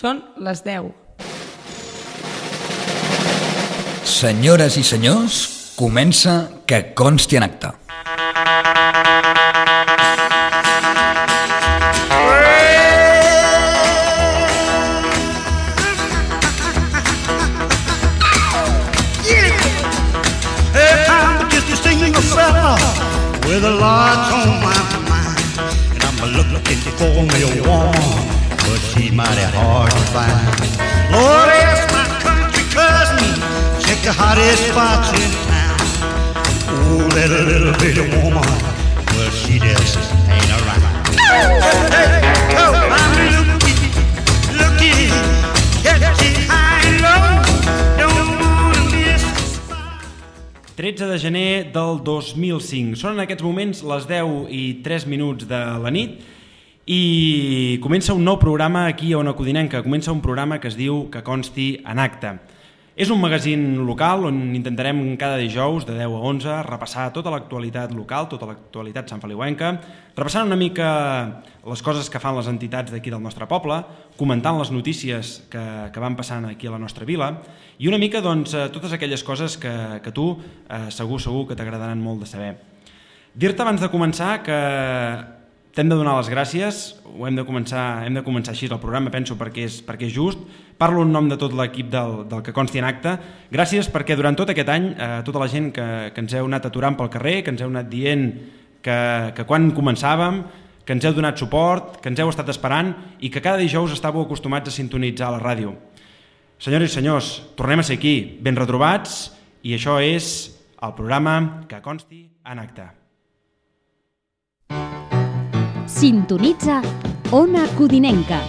Són les 10. Senyores i senyors, comença Que consti en acta. With a lot on my mind, and I'm looking for me a woman, but she's mighty hard to find. Lord, ask my country cousin, check the hottest spots in town. Oh, that little bitty woman, well, she just ain't around. Hey, oh, I'm looking, catchy high and low, don't wanna miss the spot. 13 de gener del 2005. Són en aquests moments les 10:03 de la nit i comença un nou programa aquí a Ona Codinenca. Comença un programa que es diu Que consti en acta. És un magazín local on intentarem cada dijous de 10 a 11 repassar tota l'actualitat local, tota l'actualitat santfeliuenca, repassant una mica les coses que fan les entitats d'aquí del nostre poble, comentant les notícies que van passant aquí a la nostra vila i una mica doncs, totes aquelles coses que tu segur que t'agradaran molt de saber. Dir-te abans de començar que t'hem de donar les gràcies, hem de començar així el programa, penso, perquè és just. Parlo en nom de tot l'equip del Que consti en acta. Gràcies perquè durant tot aquest any tota la gent que ens heu anat aturant pel carrer, que ens heu anat dient que quan començàvem, que ens heu donat suport, que ens heu estat esperant i que cada dijous estàveu acostumats a sintonitzar la ràdio. Senyores i senyors, tornem a ser aquí, ben retrobats, i això és el programa Que consti en acta. Sintonitza Ona Codinenca,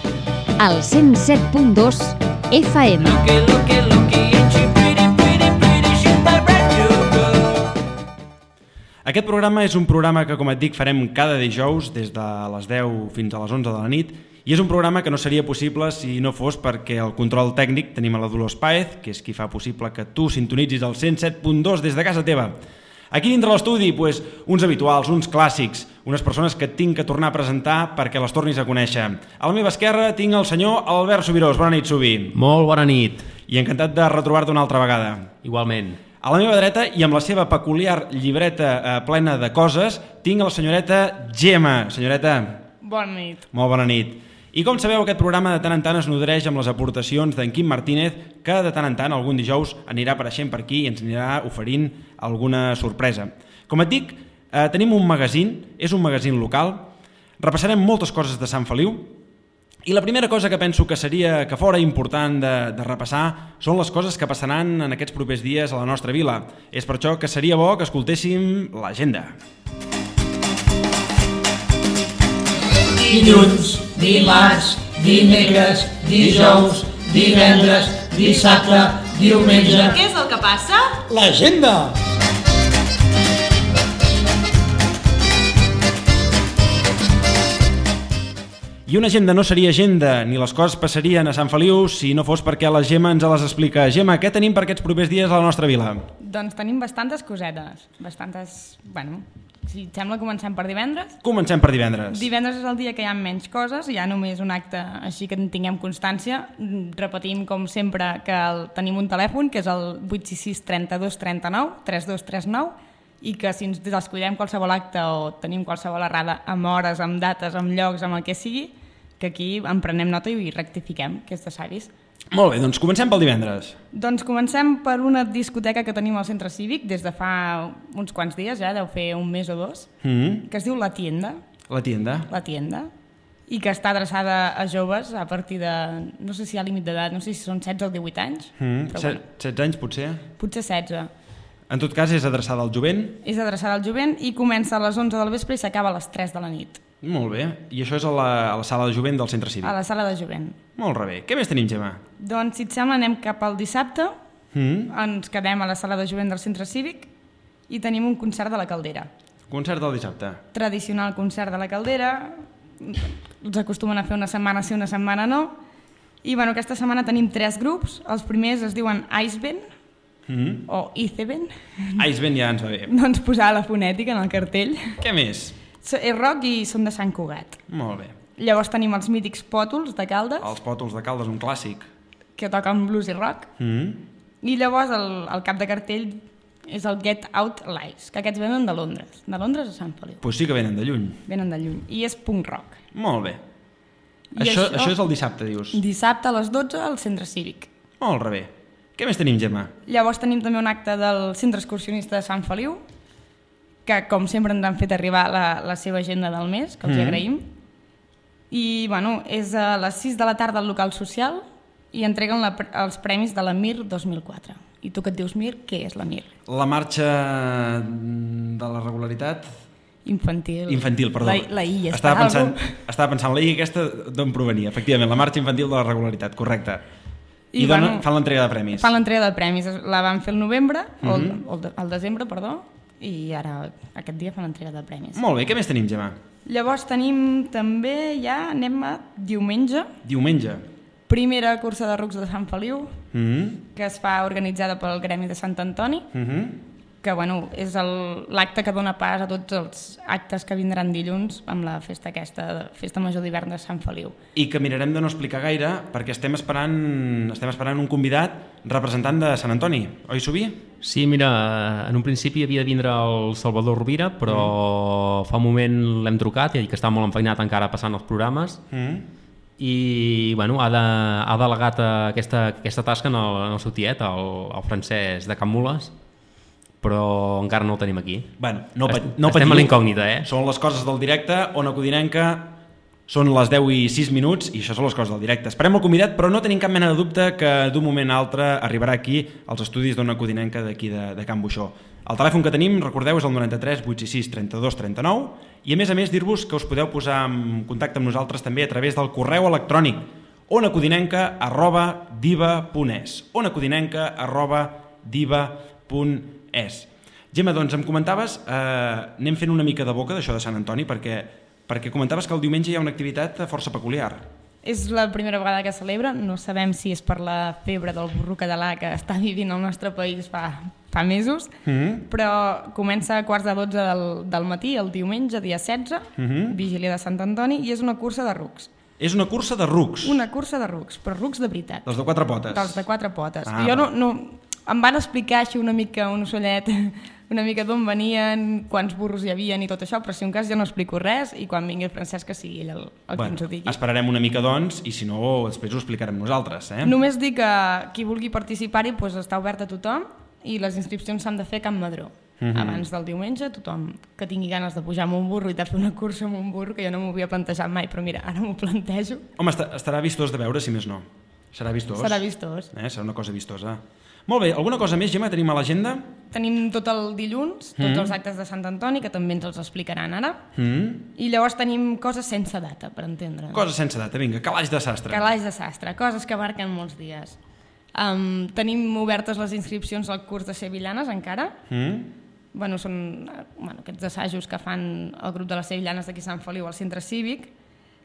al 107.2 FM. Aquest programa és un programa que, com et dic, farem cada dijous des de les 10 fins a les 11 de la nit i és un programa que no seria possible si no fos perquè el control tècnic tenim a la Dolors Páez, que és qui fa possible que tu sintonitzis el 107.2 des de casa teva. Aquí dintre l'estudi, uns habituals, uns clàssics, unes persones que tinc que tornar a presentar perquè les tornis a conèixer. A la meva esquerra tinc el senyor Albert Subirós. Bona nit, Subi. Molt bona nit. I encantat de retrobar-te una altra vegada. Igualment. A la meva dreta, i amb la seva peculiar llibreta plena de coses, tinc la senyoreta Gemma. Senyoreta. Bona nit. Molt bona nit. I com sabeu, aquest programa de tant en tant es nodreix amb les aportacions d'en Quim Martínez, que de tant en tant, algun dijous, anirà apareixent per aquí i ens anirà oferint alguna sorpresa. Com et dic, tenim un magazín, és un magazín local, repassarem moltes coses de Sant Feliu, i la primera cosa que penso que fora important de repassar són les coses que passaran en aquests propers dies a la nostra vila. És per això que seria bo que escoltéssim l'agenda. Dilluns, dimarts, dimecres, dijous, divendres, dissabte, diumenge. Què és el que passa? L'agenda! I una agenda no seria agenda, ni les coses passarien a Sant Feliu si no fos perquè la Gemma ens les explica. Gemma, què tenim per aquests propers dies a la nostra vila? Doncs tenim bastantes cosetes. Si et sembla, comencem per divendres. Comencem per divendres. Divendres és el dia que hi ha menys coses, hi ha només un acte així que en tinguem constància. Repetim, com sempre, que tenim un telèfon, que és el 866 32 39 3239, i que si ens descuidem qualsevol acte o tenim qualsevol errada amb hores, amb dates, amb llocs, amb el que sigui, que aquí en prenem nota i rectifiquem, que és de savis. Molt bé, doncs comencem pel divendres. Doncs comencem per una discoteca que tenim al centre cívic des de fa uns quants dies, ja deu fer un mes o dos, que es diu La Tienda. La Tienda. La Tienda. I que està adreçada a joves a partir de, no sé si hi ha límit d'edat, no sé si són 16 o 18 anys. 16 anys, potser? Potser 16. En tot cas, és adreçada al jovent? És adreçada al jovent i comença a les 11 del vespre i s'acaba a les 3 de la nit. Molt bé. I això és a la sala de jovent del centre cívic? A la sala de jovent. Molt bé. Què més tenim, Gemma? Doncs, si et sembla, anem cap al dissabte. Ens quedem a la sala de jovent del centre cívic i tenim un concert de la Caldera. Concert del dissabte. Tradicional concert de la Caldera. Els acostumen a fer una setmana sí, una setmana no. I bueno, aquesta setmana tenim 3 grups. Els primers es diuen Iceband, o Iceband. Iceband ja ens va bé. No ens posava la fonètica en el cartell. Què més? És rock i són de Sant Cugat. Molt bé. Llavors tenim els mítics Pòtols de Caldes, Els Pòtols de Caldes, un clàssic. que toquen blues i rock. I llavors el cap de cartell és el Get Out Lives, que aquests venen de Londres a Sant Feliu. Pues sí que venen de lluny. Venen de lluny. I és punk rock. Molt bé. I Això és el dissabte, dius? Dissabte a les 12 al Centre Cívic. Molt bé. Què més tenim, Gemma? Llavors tenim també un acte del Centre Excursionista de Sant Feliu, que com sempre ens han fet arribar la seva agenda del mes, que els hi agraïm. I bueno, és a les 6 de la tarda al local social i entreguen els premis de la MIR 2004. I tu que et dius MIR, què és la MIR? La marxa de la regularitat... Infantil, perdó. La I, estava pensant la I aquesta d'on provenia, efectivament, la marxa infantil de la regularitat, correcte. I fan l'entrega de premis. Fan l'entrega de premis, la van fer el novembre, el desembre, perdó, i ara aquest dia fan l'entrega de premis. Molt bé, què més tenim, Gemma? Llavors tenim també, ja anem a diumenge. Diumenge. Primera cursa de rucs de Sant Feliu, que es fa organitzada pel Gremi de Sant Antoni, que bueno, és l'acte que dona pas a tots els actes que vindran dilluns amb la festa aquesta, Festa Major d'Hivern de Sant Feliu. I que mirarem de no explicar gaire perquè estem esperant un convidat representant de Sant Antoni, oi, Subí? Sí, mira, en un principi havia de vindre el Salvador Rovira, però fa un moment l'hem trucat i ha dit que està molt enfeinat encara passant els programes i bueno, ha delegat aquesta tasca en el seu tiet, el Francesc de Can Mules, però encara no el tenim aquí. Bueno, no estem a l'incògnita, Són les coses del directe, Ona Codinenca, són les 10:06 i això són les coses del directe. Esperem el convidat, però no tenim cap mena de dubte que d'un moment a altre arribarà aquí als estudis d'Ona Codinenca d'aquí de Can Buixó. El telèfon que tenim, recordeu, és el 93 866 32 39 i a més dir-vos que us podeu posar en contacte amb nosaltres també a través del correu electrònic onacodinenca@diva.es onacodinenca@diva.es. Gemma, doncs em comentaves, anem fent una mica de boca d'això de Sant Antoni perquè comentaves que el diumenge hi ha una activitat força peculiar. És la primera vegada que celebra, no sabem si és per la febre del burro català que està vivint al nostre país fa mesos, però comença a 11:15 del matí, el diumenge, dia 16, vigília de Sant Antoni, i és una cursa de rucs. És una cursa de rucs? Una cursa de rucs, però rucs de veritat. Dels de quatre potes? Dels de quatre potes. Jo em van explicar així una mica un ocellet, una mica d'on venien, quants burros hi havien i tot això, però si un cas jo no explico res i quan vingui el Francesc que sigui ell el que ens ho digui. Esperarem una mica doncs i si no després ho explicarem nosaltres. Només dic que qui vulgui participar-hi està obert a tothom i les inscripcions s'han de fer a Can Madró. Abans del diumenge, tothom que tingui ganes de pujar amb un burro i de fer una cursa amb un burro, que jo no m'ho havia plantejat mai, però mira, ara m'ho plantejo. Home, estarà vistós de veure, si més no. Serà vistós. Serà vistós. Serà una cosa vistosa. Molt bé, alguna cosa més, Gemma, tenim a l'agenda? Tenim tot el dilluns, tots els actes de Sant Antoni, que també ens els explicaran ara. I llavors tenim coses sense data, per entendre. Coses sense data, vinga, calaix de sastre. Calaix de sastre, coses que abarquen molts dies. Tenim obertes les inscripcions al curs de Sevillanes encara. Són aquests assajos que fan el grup de les Sevillanes d'aquí a Sant Feliu al centre cívic.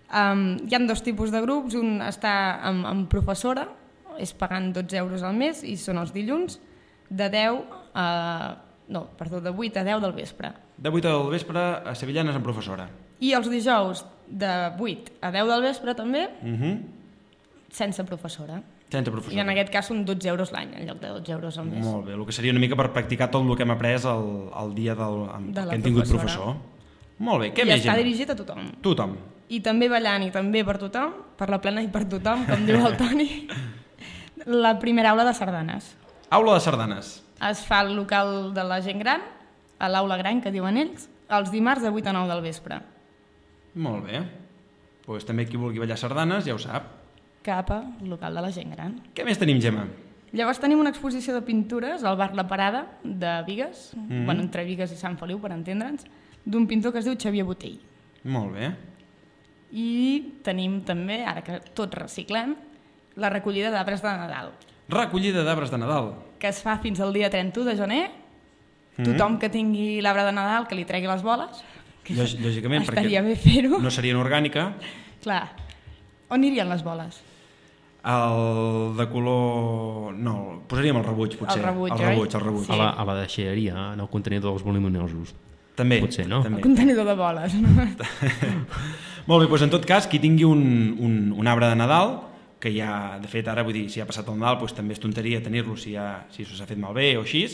Hi ha dos tipus de grups, un està amb professora, és pagant 12 euros al mes i són els dilluns de 8 a 10 del vespre. De 8 del vespre a Sevillanes amb professora. I els dijous de 8 a 10 del vespre també, sense professora. Sense professora. I en aquest cas són 12 euros l'any en lloc de 12 euros al mes. Molt bé, el que seria una mica per practicar tot el que hem après el dia que hem tingut professor. Molt bé, què més? I està dirigit a tothom. Tothom. I també ballant i també per tothom, per la plena i per tothom, com diu el Toni. La primera aula de sardanes. Aula de sardanes. Es fa al local de la gent gran, a l'aula gran, que diuen ells, els dimarts de 8 a 9 del vespre. Molt bé. Doncs també qui vulgui ballar sardanes ja ho sap. Cap al local de la gent gran. Què més tenim, Gemma? Llavors tenim una exposició de pintures al bar La Parada de Bigues, entre Bigues i Sant Feliu, per entendre'ns, d'un pintor que es diu Xavier Botell. Molt bé. I tenim també, ara que tots reciclem, la recollida d'arbres de Nadal. Recollida d'arbres de Nadal. Que es fa fins al dia 31 de gener. Tothom que tingui l'arbre de Nadal que li tregui les boles. Lògicament, estaria bé fer-ho. No seria orgànica. Clar. On irien les boles? El de color... No, posaríem el rebuig, potser. El rebuig, oi? El rebuig. Sí. A la deixalleria, en el contenidor dels voluminosos. També. Potser, no? El contenidor de boles. No? Molt bé, doncs en tot cas, qui tingui un arbre de Nadal, que ja, de fet, ara vull dir, si ha passat el Nadal, doncs també és tonteria tenir-lo si s'ha fet malbé o així,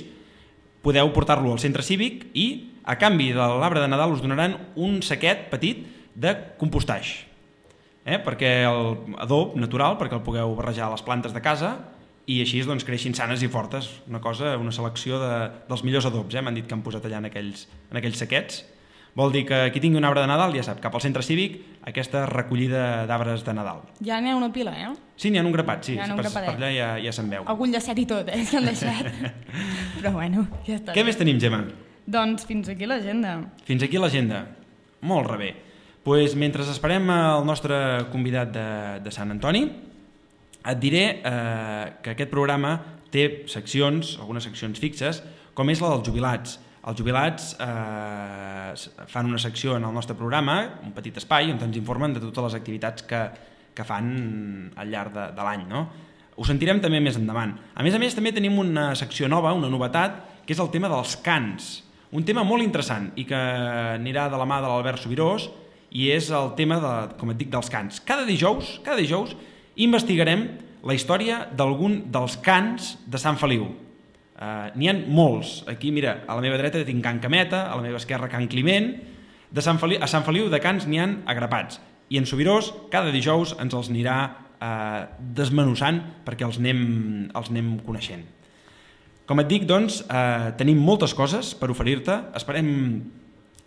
podeu portar-lo al centre cívic i, a canvi de l'arbre de Nadal, us donaran un saquet petit de compostatge. Perquè el adob natural, perquè el pugueu barrejar a les plantes de casa i així doncs, creixin sanes i fortes. Una selecció dels millors adobs, m'han dit que han posat allà en aquells saquets. Vol dir que qui tingui un arbre de Nadal ja sap, cap al centre cívic, aquesta recollida d'arbres de Nadal. Ja n'hi ha una pila, Sí, n'hi ha un grapat, sí. Si per allà ja se'n veu. Algun llacet i tot, que han deixat. Però bueno, ja està. Què més tenim, Gemma? Doncs fins aquí l'agenda. Fins aquí l'agenda. Molt rebé. Pues, mentre esperem el nostre convidat de Sant Antoni, et diré que aquest programa té algunes seccions fixes, com és la dels jubilats. Els jubilats fan una secció en el nostre programa, un petit espai, on ens informen de totes les activitats que fan al llarg de l'any. No? Ho sentirem també més endavant. A més, també tenim una secció nova, una novetat, que és el tema dels cants. Un tema molt interessant i que anirà de la mà de l'Albert Subirós, i és el tema, com et dic, dels cants. Cada dijous investigarem la història d'algun dels cants de Sant Feliu. N'hi ha molts. Aquí, mira, a la meva dreta tinc Can Cameta, a la meva esquerra Can Climent. A Sant Feliu de cants n'hi ha agrapats. I en Subirós, cada dijous ens els anirà desmenussant perquè els anem coneixent. Com et dic, doncs, tenim moltes coses per oferir-te. Esperem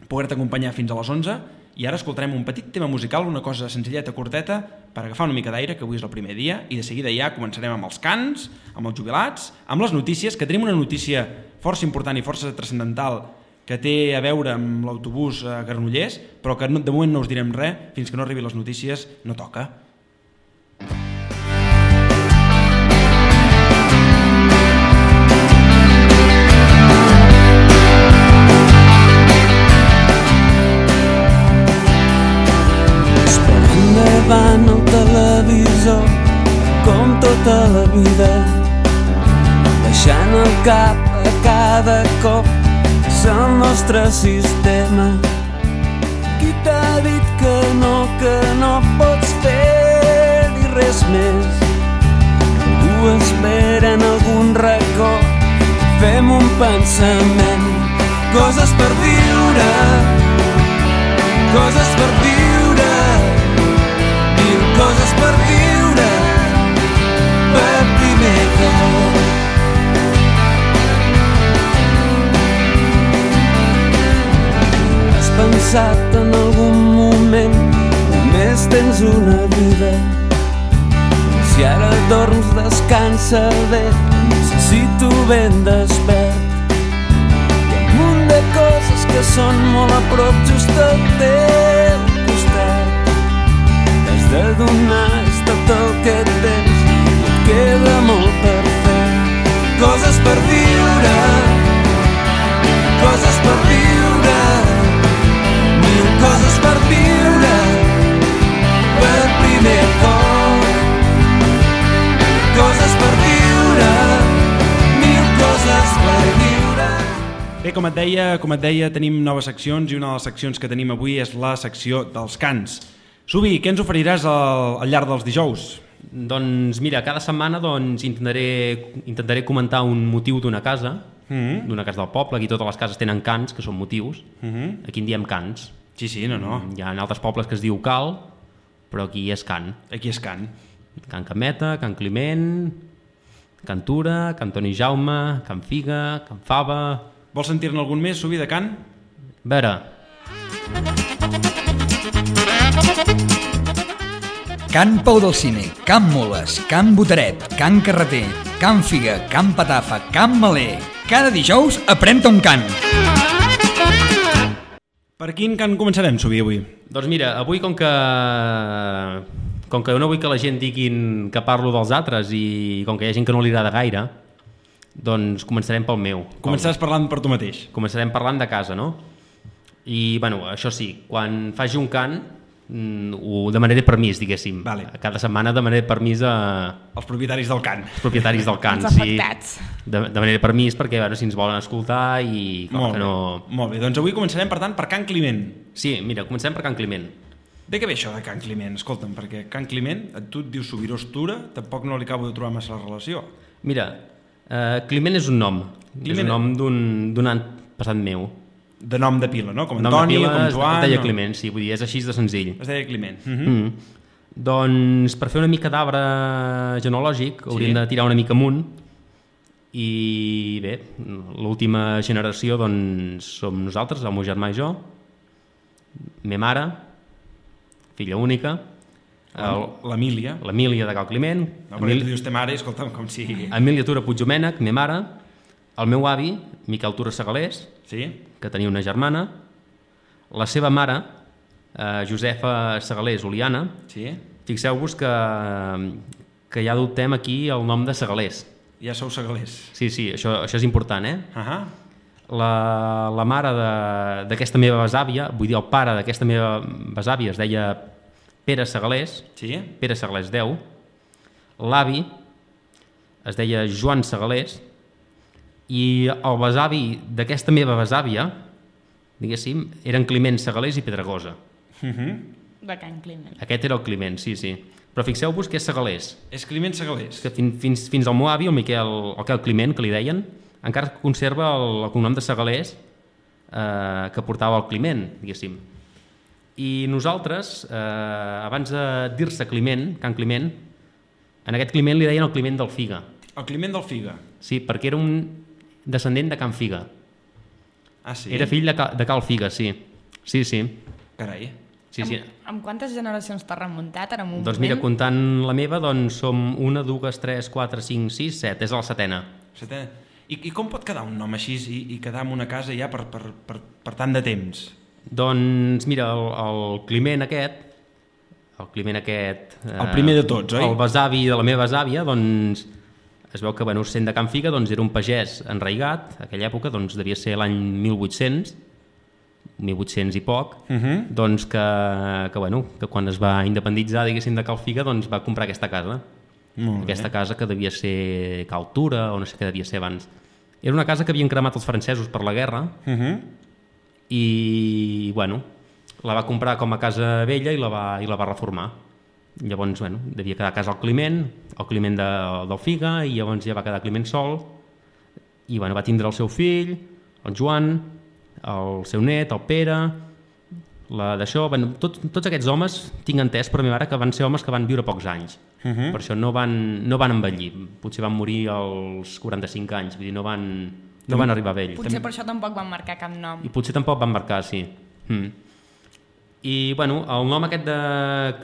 poder-te acompanyar fins a les 11 i ara escoltarem un petit tema musical, una cosa senzilleta, corteta, per agafar una mica d'aire, que avui és el primer dia, i de seguida ja començarem amb els cants, amb els jubilats, amb les notícies, que tenim una notícia força important i força transcendental que té a veure amb l'autobús a Granollers, però que de moment no us direm res, fins que no arribi les notícies no toca. Davant el televisor com tota la vida, baixant el cap a cada cop és el nostre sistema. Qui t'ha dit que no pots fer-hi res més? Algú espera en algun racó, fem un pensament, coses per viure, coses per viure, coses per viure per primer cop. Has pensat en algun moment només tens una vida? Si ara dorms descansa bé, necessito ben despert. Hi ha un munt de coses que són molt a prop just al teu costat. De donar és tot el que tens, no et queda molt per fer. Coses per viure, coses per viure, mil coses per viure per primer cop. Coses per viure, mil coses per viure. Bé, com et deia, tenim noves seccions i una de les seccions que tenim avui és la secció dels cants. Subi, què ens oferiràs al llarg dels dijous? Doncs mira, cada setmana intentaré comentar un motiu d'una casa, d'una casa del poble. Aquí totes les cases tenen cants, que són motius. Aquí en diem cants. Sí, no. Hi ha altres pobles que es diu cal, però aquí és cant. Aquí és cant. Can Cameta, Can Climent, Can Tura, Can Toni Jaume, Can Figa, Can Fava... Vols sentir-ne algun més, Subi, de cant? A veure... Can Pau del Cine, Can Moles, Can Botaret, Can Carreter, Can Figa, Can Patafa, Can Maler. Cada dijous aprèn-te un cant. Per quin cant començarem, Subi, avui? Doncs mira, avui com que no vull que la gent diguin que parlo dels altres i com que hi ha gent que no li agrada gaire, doncs començarem pel meu. Començaràs parlant per tu mateix. Començarem parlant de casa, no? I, bueno, això sí, quan faci un cant, de manera de permís, diguéssim. Vale. Cada setmana de manera de permís Els propietaris del cant. els propietaris del cant. Els afectats. De manera de permís perquè si ens volen escoltar i clar, que no... Molt bé, doncs avui començarem per tant per Can Climent. Sí, mira, comencem per Can Climent. De què ve això de Can Climent? Escolta'm, perquè Can Climent, tu et dius Subirós Tura, tampoc no li acabo de trobar massa la relació. Mira, Climent és un nom. Climent... És un nom d'un any passat meu. De nom de pila, no? Com Nom de Antoni, pila com Joan... es deia no? Climent, sí, vull dir, és així de senzill. Es deia Climent. Doncs per fer una mica d'arbre genealògic hauríem de tirar una mica amunt i bé, l'última generació doncs som nosaltres, el meu germà i jo, ma mare, filla única, l'Emília. L'Emília de Cal Climent, No, perquè tu dius te mare, escolta'm, com si... Emília Tura Puigdomènech, ma mare, el meu avi, Miquel Tura Segalés, Sí? que tenia una germana, la seva mare, Josefa Segalés Oliana. Sí? Fixeu-vos que ja adoptem aquí el nom de Segalés. Ja sou segalers. Sí, això és important, eh? La mare d'aquesta meva besàvia, vull dir el pare d'aquesta meva besàvia es deia Pere Segalés, Sí? Pere Segalés 10, l'avi es deia Joan Segalés i el besavi d'aquesta meva besàvia, diguéssim, eren Climent Segalés i Pedregosa. De Can Climent. Aquest era el Climent, sí. Però fixeu-vos que és Segalés. És Climent Segalers. Que fins al meu avi, el Miquel Climent, que li deien, encara conserva el cognom de Segalés que portava el Climent, diguéssim. I nosaltres, abans de dir-se Climent, Can Climent, en aquest Climent li deien el Climent del Figa. El Climent del Figa. Sí, perquè era un descendent de Can Figa. Ah, sí? Era fill de Cal Figa, sí. Sí. Carai. Sí. Amb quantes generacions t'has remuntat ara en un Doncs moment? mira, comptant la meva, doncs som 1, 2, 3, 4, 5, 6, 7. És la setena. I com pot quedar un nom així i quedar en una casa ja per tant de temps? Doncs mira, el Climent aquest, el primer de tots, oi? El besavi de la meva besàvia, doncs es veu que, sent de Can Figa, doncs era un pagès enraigat, a aquella època doncs devia ser l'any 1800 i poc, doncs que quan es va independitzar, diguéssim, de Cal Figa, doncs va comprar aquesta casa. Aquesta casa que devia ser Cal Tura, o no sé què devia ser abans. Era una casa que havien cremat els francesos per la guerra, i, la va comprar com a casa vella i la va reformar. Llavors, devia quedar a casa el Climent del Figa, i llavors ja va quedar Climent sol, i va tindre el seu fill, el Joan, el seu net, el Pere, d'això, tots aquests homes tinc entès per mi mare que van ser homes que van viure pocs anys, per això no van envellir, potser van morir als 45 anys, vull dir, no van arribar a vell. Potser per això tampoc van marcar cap nom. I potser tampoc van marcar, sí. I el nom aquest de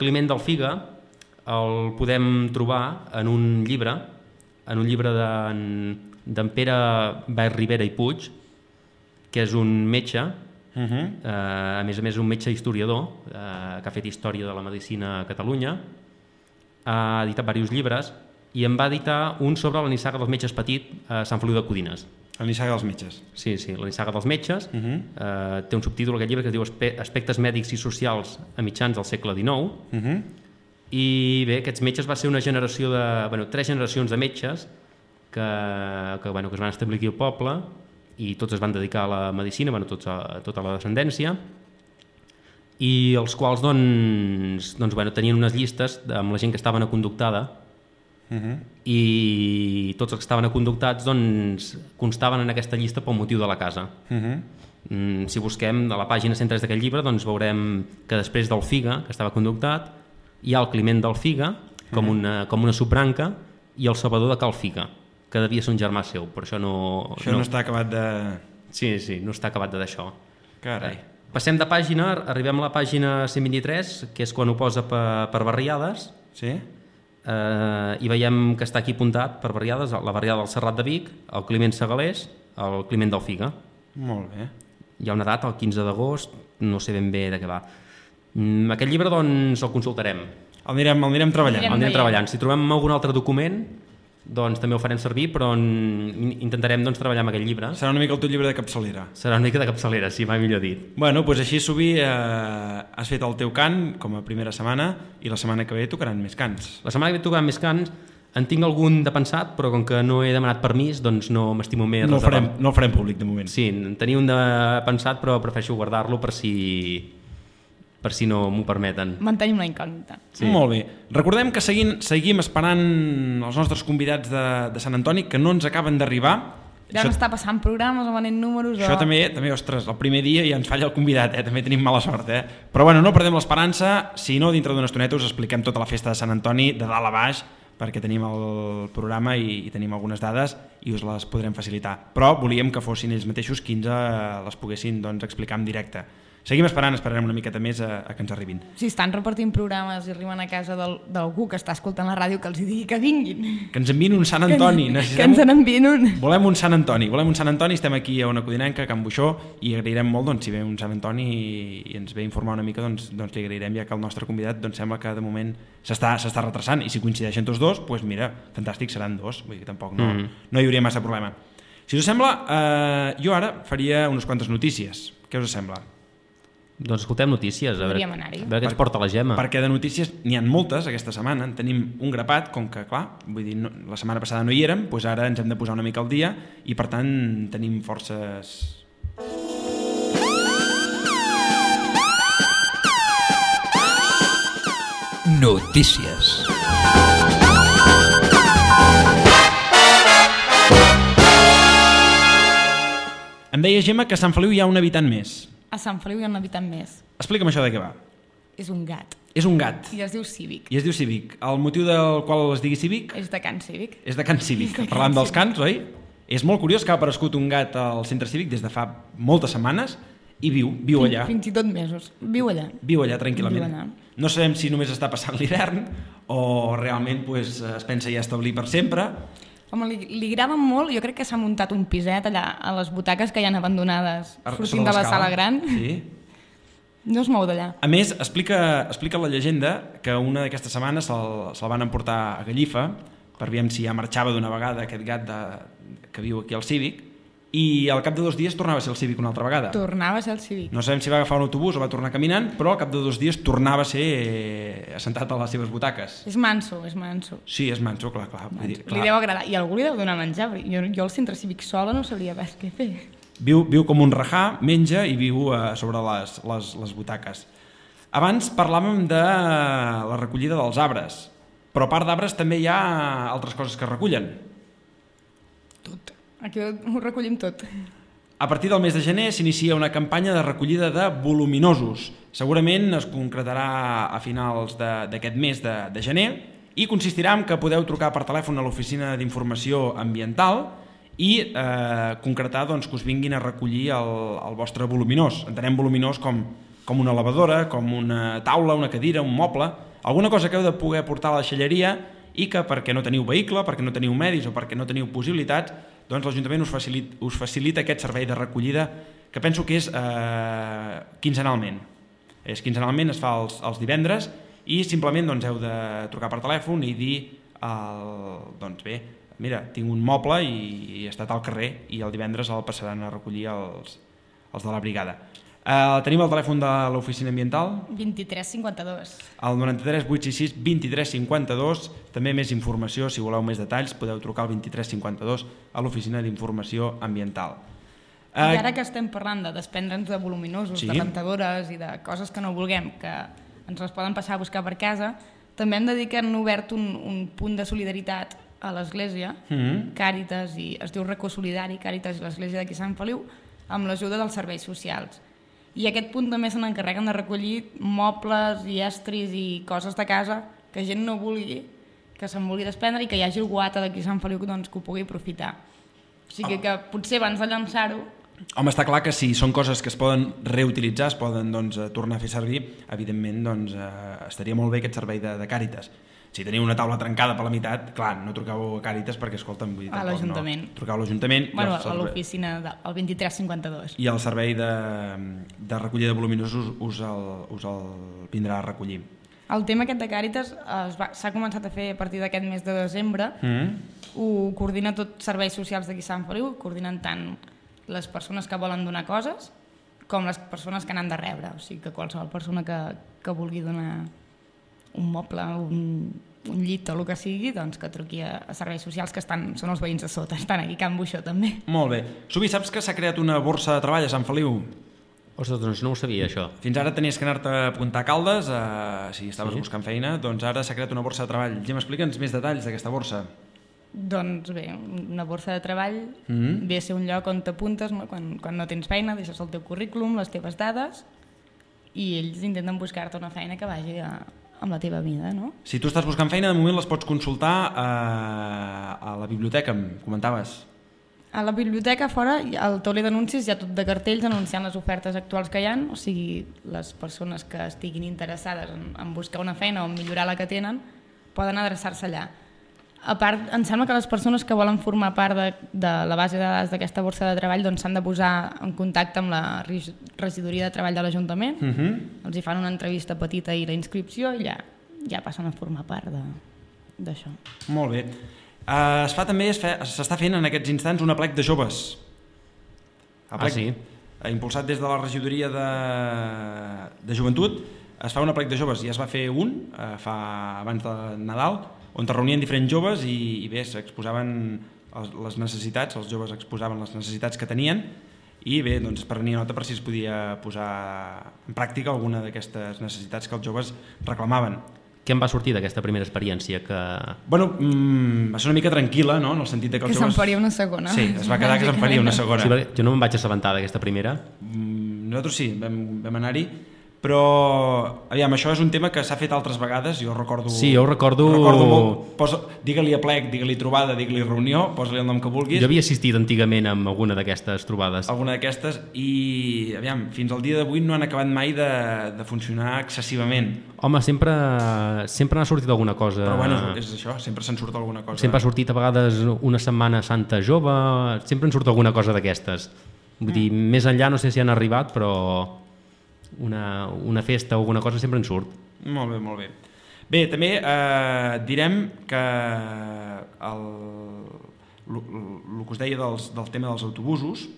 Climent del Figa el podem trobar en un llibre d'en Pere Baix Ribera i Puig, que és un metge, a més un metge historiador, que ha fet història de la medicina a Catalunya, ha editat diversos llibres i en va editar un sobre la nissaga dels metges petit a Sant Feliu de Codines. La nissaga dels metges. Sí, la nissaga dels metges. Té un subtítol aquest llibre que es diu Aspectes mèdics i socials a mitjans del segle XIX. I bé, aquests metges va ser una generació de... 3 generacions de metges que es van establir aquí al poble i tots es van dedicar a la medicina, tota la descendència, i els quals tenien unes llistes amb la gent que estaven aconductada, i tots els que estaven aconductats constaven en aquesta llista pel motiu de la casa. Si busquem a la pàgina 103 d'aquest llibre, veurem que després del Figa, que estava conductat, hi ha el Climent del Figa com una subbranca i el Salvador de Cal Figa, que devia ser un germà seu, però això no... Això no està acabat de... Sí, no està acabat d'això. Carai. Passem de pàgina, arribem a la pàgina 123, que és quan ho posa per barriades. Sí? I veiem que està aquí apuntat per barriades, la barriada del Serrat de Vic, el Climent Segalés, el Climent del Figa. Molt bé. Hi ha una data, el 15 d'agost, no sé ben bé de què va. Aquest llibre, el consultarem. El anirem treballant. El anirem treballant. Si trobem algun altre document, doncs també ho farem servir, però intentarem doncs, treballar amb aquest llibre. Serà una mica el teu llibre de capçalera. Serà una mica de capçalera, sí, mai millor dit. Bueno, doncs així, Subi, has fet el teu cant com a primera setmana i la setmana que ve tocaran més cants. La setmana que ve tocaran més cants. En tinc algun de pensat, però com que no he demanat permís, doncs no m'estimo més. No el farem públic, de moment. Sí, en tenia un de pensat, però prefereixo guardar-lo per si no m'ho permeten. Mantenim la incògnita. Sí. Molt bé. Recordem que seguim esperant els nostres convidats de Sant Antoni, que no ens acaben d'arribar. Ja no està passant programes o venent números. Això també, ostres, el primer dia ja ens falla el convidat, també tenim mala sort. Però bueno, no perdem l'esperança, si no, dintre d'una estoneta us expliquem tota la festa de Sant Antoni, de dalt a baix, perquè tenim el programa i tenim algunes dades i us les podrem facilitar. Però volíem que fossin ells mateixos qui ens les poguessin explicar en directe. Seguim esperarem una miqueta més a que ens arribin. Si estan repartint programes i arriben a casa d'algú que està escoltant la ràdio, que els digui que vinguin. Que ens enviïn un Sant Antoni. Que ens n'enviïn un. Volem un Sant Antoni, estem aquí a Ona Codinenca, a Can Buixó, i agrairem molt si ve un Sant Antoni i ens ve a informar una mica, doncs li agrairem, ja que el nostre convidat sembla que de moment s'està retrasant, i si coincideixen tots dos, doncs mira, fantàstic, seran dos, vull dir que tampoc no hi hauria massa problema. Si us sembla, jo ara faria unes quantes notícies. Què us sembla? Doncs escoltem notícies, a veure què ens porta la Gemma. Perquè de notícies n'hi ha moltes aquesta setmana, en tenim un grapat, com que, clar, vull dir, la setmana passada no hi érem, doncs ara ens hem de posar una mica al dia i, per tant, tenim forces... Notícies. Em deia Gemma que a Sant Feliu hi ha un habitant més. A Sant Feliu hi ha un habitant més. Explica'm això de què va. És un gat. És un gat. I es diu Cívic. El motiu del qual es digui Cívic? És de Can Cívic. És de Can Cívic. Parlant dels cants, oi? És molt curiós que ha aparegut un gat al centre cívic des de fa moltes setmanes i viu allà. Fins i tot mesos. Viu allà. Viu allà, tranquil·lament. No sabem si només està passant l'hivern o realment es pensa ja establir per sempre. Home, li agrada molt, jo crec que s'ha muntat un piset allà a les butaques que hi han abandonades sortint de la sala gran. Sí. No es mou d'allà. A més, explica la llegenda que una d'aquestes setmanes se'l van emportar a Gallifa per veure si ja marxava d'una vegada aquest gat que viu aquí al Cívic, i al cap de 2 dies tornava a ser el Cívic una altra vegada. Tornava a ser el Cívic. No sabem si va agafar un autobús o va tornar caminant, però al cap de 2 dies tornava a ser assentat a les seves butaques. És manso. Sí, és manso, clar. Li deu agradar. I algú li deu donar menjar. Jo al centre cívic sola no sabria pas què fer. Viu com un rajà, menja i viu sobre les butaques. Abans parlàvem de la recollida dels arbres, però a part d'arbres també hi ha altres coses que es recullen. Tot. Aquí ho recollim tot. A partir del mes de gener s'inicia una campanya de recollida de voluminosos. Segurament es concretarà a finals d'aquest mes de gener i consistirà en que podeu trucar per telèfon a l'Oficina d'Informació Ambiental i concretar que us vinguin a recollir el vostre voluminós. Entenem voluminós com una lavadora, com una taula, una cadira, un moble, alguna cosa que heu de poder portar a la deixalleria i que perquè no teniu vehicle, perquè no teniu medis o perquè no teniu possibilitats, doncs l'Ajuntament us facilita aquest servei de recollida que penso que és quinzenalment. Quinzenalment es fa els divendres i simplement heu de trucar per telèfon i dir bé, mira, tinc un moble i he estat al carrer i el divendres el passaran a recollir els de la brigada. Tenim el telèfon de l'Oficina Ambiental? 2352. El 93 866 2352. També més informació, si voleu més detalls, podeu trucar al 2352 a l'Oficina d'Informació Ambiental. I ara que estem parlant de desprendre'ns de voluminosos, de rentadores i de coses que no vulguem, que ens les poden passar a buscar per casa, també hem de dir que han obert un punt de solidaritat a l'Església, Càritas, i es diu Racó Solidari, Càritas i l'Església d'aquí Sant Feliu, amb l'ajuda dels serveis socials. I aquest punt també se n'encarreguen de recollir mobles i estris i coses de casa que gent no vulgui, que se'n vulgui desprendre i que hi hagi algú altre d'aquí a Sant Feliu que ho pugui aprofitar. O sigui que potser abans de llançar-ho... Home, està clar que si són coses que es poden reutilitzar, es poden tornar a fer servir, evidentment estaria molt bé aquest servei de Càritas. Si teniu una taula trencada per la meitat, clar, no truqueu a Càritas perquè, escolta'm, vull dir, a l'Ajuntament. Truqueu a l'Ajuntament. Bueno, a l'oficina del 2352. I el servei de recollida de voluminosos us el vindrà a recollir. El tema aquest de Càritas s'ha començat a fer a partir d'aquest mes de desembre ho coordina tot serveis socials d'aquí Sant Feliu, coordinen tant les persones que volen donar coses com les persones que n'han de rebre. O sigui que qualsevol persona que vulgui donar un moble, un llit o el que sigui, doncs que truqui a serveis socials, que són els veïns de sota, estan aquí a Can Buixó també. Molt bé. Subi, saps que s'ha creat una borsa de treball a Sant Feliu? Ostres, doncs no ho sabia, això. Fins ara tenies que anar-te a apuntar a Caldes, si estaves buscant feina, doncs ara s'ha creat una borsa de treball. Gemma, explica'ns més detalls d'aquesta borsa. Doncs bé, una borsa de treball ve a ser un lloc on t'apuntes, no? Quan no tens feina, deixes el teu currículum, les teves dades, i ells intenten buscar-te una feina que vagi amb la teva vida, no? Si tu estàs buscant feina, de moment les pots consultar a la biblioteca, em comentaves. A la biblioteca fora, al tauler d'anuncis, hi ha tot de cartells anunciant les ofertes actuals que hi ha, o sigui, les persones que estiguin interessades en buscar una feina o en millorar la que tenen poden adreçar-se allà. A part, em sembla que les persones que volen formar part de la base de dades d'aquesta borsa de treball doncs s'han de posar en contacte amb la regidoria de treball de l'Ajuntament, els hi fan una entrevista petita i la inscripció i ja passen a formar part d'això. Molt bé. S'està fent en aquests instants un aplec de joves. Sí. Impulsat des de la regidoria de joventut, es fa un aplec de joves. Ja es va fer abans de Nadal, on es reunien diferents joves i bé, s'exposaven les necessitats, els joves exposaven les necessitats que tenien i bé, doncs es prenia nota per si es podia posar en pràctica alguna d'aquestes necessitats que els joves reclamaven. Què en va sortir d'aquesta primera experiència? Bueno, va ser una mica tranquil·la, no? En el sentit que els joves... se'n faria una segona. Sí, es va quedar que se'n faria una segona. Sí, jo no me'n vaig assabentar d'aquesta primera. Nosaltres sí, vam anar-hi, però aviam, això és un tema que s'ha fet altres vegades, jo recordo... Sí, jo ho recordo molt. Digue-li aplec, digue-li trobada, digue-li reunió, posa-li el nom que vulguis. Jo havia assistit antigament a alguna d'aquestes trobades. Alguna d'aquestes, i aviam, fins al dia d'avui no han acabat mai de funcionar excessivament. Home, sempre n'ha sortit alguna cosa. Però bueno, és això, sempre se'n surt alguna cosa. Sempre ha sortit a vegades una setmana santa jove, sempre en surt alguna cosa d'aquestes. Vull dir, més enllà no sé si han arribat, però una festa o alguna cosa sempre en surt. Molt bé, molt bé. Bé, també direm que el que us deia del tema dels autobusos,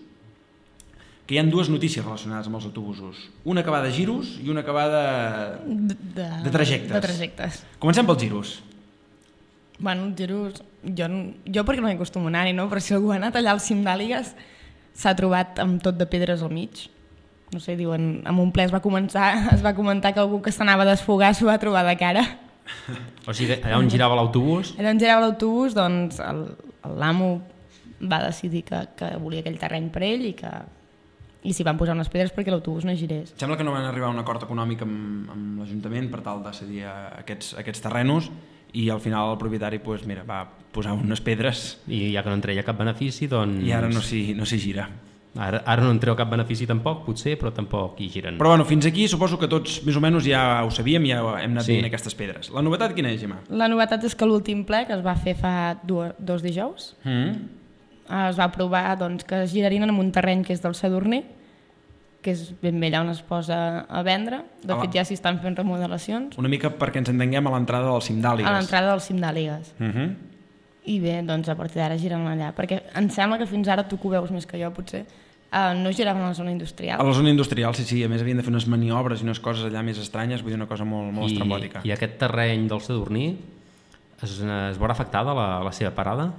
que hi ha dues notícies relacionades amb els autobusos. Una que va de giros i una que va de trajectes. De trajectes. Comencem pels giros. Bueno, els giros... Jo perquè no m'hi acostumo a anar-hi, no? Però si algú ha anat allà al cim d'Àligues s'ha trobat amb tot de pedres al mig. No sé, diuen, en un ple es va comentar que algú que s'anava a desfogar s'ho va trobar de cara. O sigui, allà on girava l'autobús... Allà on girava l'autobús, doncs l'amo va decidir que volia aquell terreny per ell i s'hi van posar unes pedres perquè l'autobús no girés. Sembla que no van arribar a un acord econòmic amb l'Ajuntament per tal de cedir aquests terrenos i al final el propietari va posar unes pedres i ja que no en treia cap benefici, doncs... I ara no s'hi gira. Ara no en treu cap benefici tampoc, potser, però tampoc hi giren. Però bueno, fins aquí suposo que tots més o menys ja ho sabíem, ja hem anat dient aquestes pedres. La novetat quina és, Gemma? La novetat és que l'últim ple, que es va fer fa 2 dijous, es va aprovar doncs, que es girarien en un terreny que és del Sadurní, que és ben bé allà on es posa a vendre. De fet, ja s'hi estan fent remodelacions. Una mica perquè ens entenguem a l'entrada del cim d'Àligues. A l'entrada del cim d'Àligues. I bé, doncs a partir d'ara giren allà, perquè em sembla que fins ara tu que ho veus més que jo, potser, no giraven a la zona industrial. A la zona industrial, sí, a més havien de fer unes maniobres i unes coses allà més estranyes, vull dir, una cosa molt estrambòtica. I aquest terreny del Sadurní es veurà afectada la seva parada?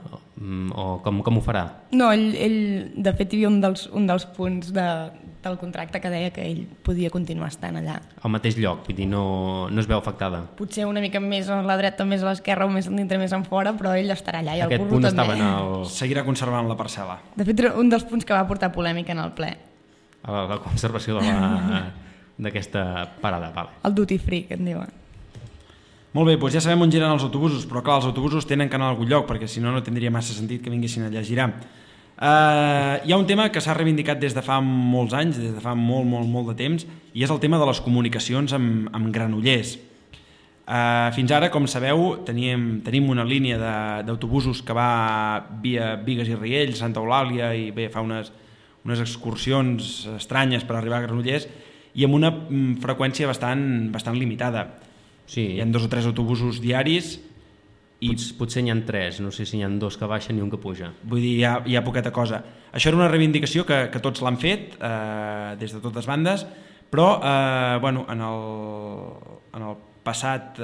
O com ho farà? No, ell de fet hi havia un dels punts del contracte que deia que ell podia continuar estant allà. Al mateix lloc, vull dir, no es veu afectada. Potser una mica més a la dreta, més a l'esquerra o més dintre, més en fora, però ell estarà allà i el aquest burro punt també. Seguirà conservant la parcel·la. De fet, un dels punts que va portar polèmica en el ple. La conservació d'aquesta parada, vale. El duty free, que en diuen. Molt bé, doncs ja sabem on giren els autobusos, però clar, els autobusos tenen que anar a algun lloc, perquè si no, no tindria massa sentit que vinguessin allà a girar. Hi ha un tema que s'ha reivindicat des de fa molts anys, des de fa molt de temps, i és el tema de les comunicacions amb Granollers. Fins ara, com sabeu, tenim una línia d'autobusos que va via Bigues i Riells, Santa Eulàlia, i bé, fa unes excursions estranyes per arribar a Granollers, i amb una freqüència bastant limitada. Sí. Hi ha 2 o 3 autobusos diaris Potser n'hi ha 3, no sé si n'hi ha 2 que baixen i un que puja. Vull dir, hi ha poqueta cosa. Això era una reivindicació que tots l'han fet des de totes bandes, però bueno, en el passat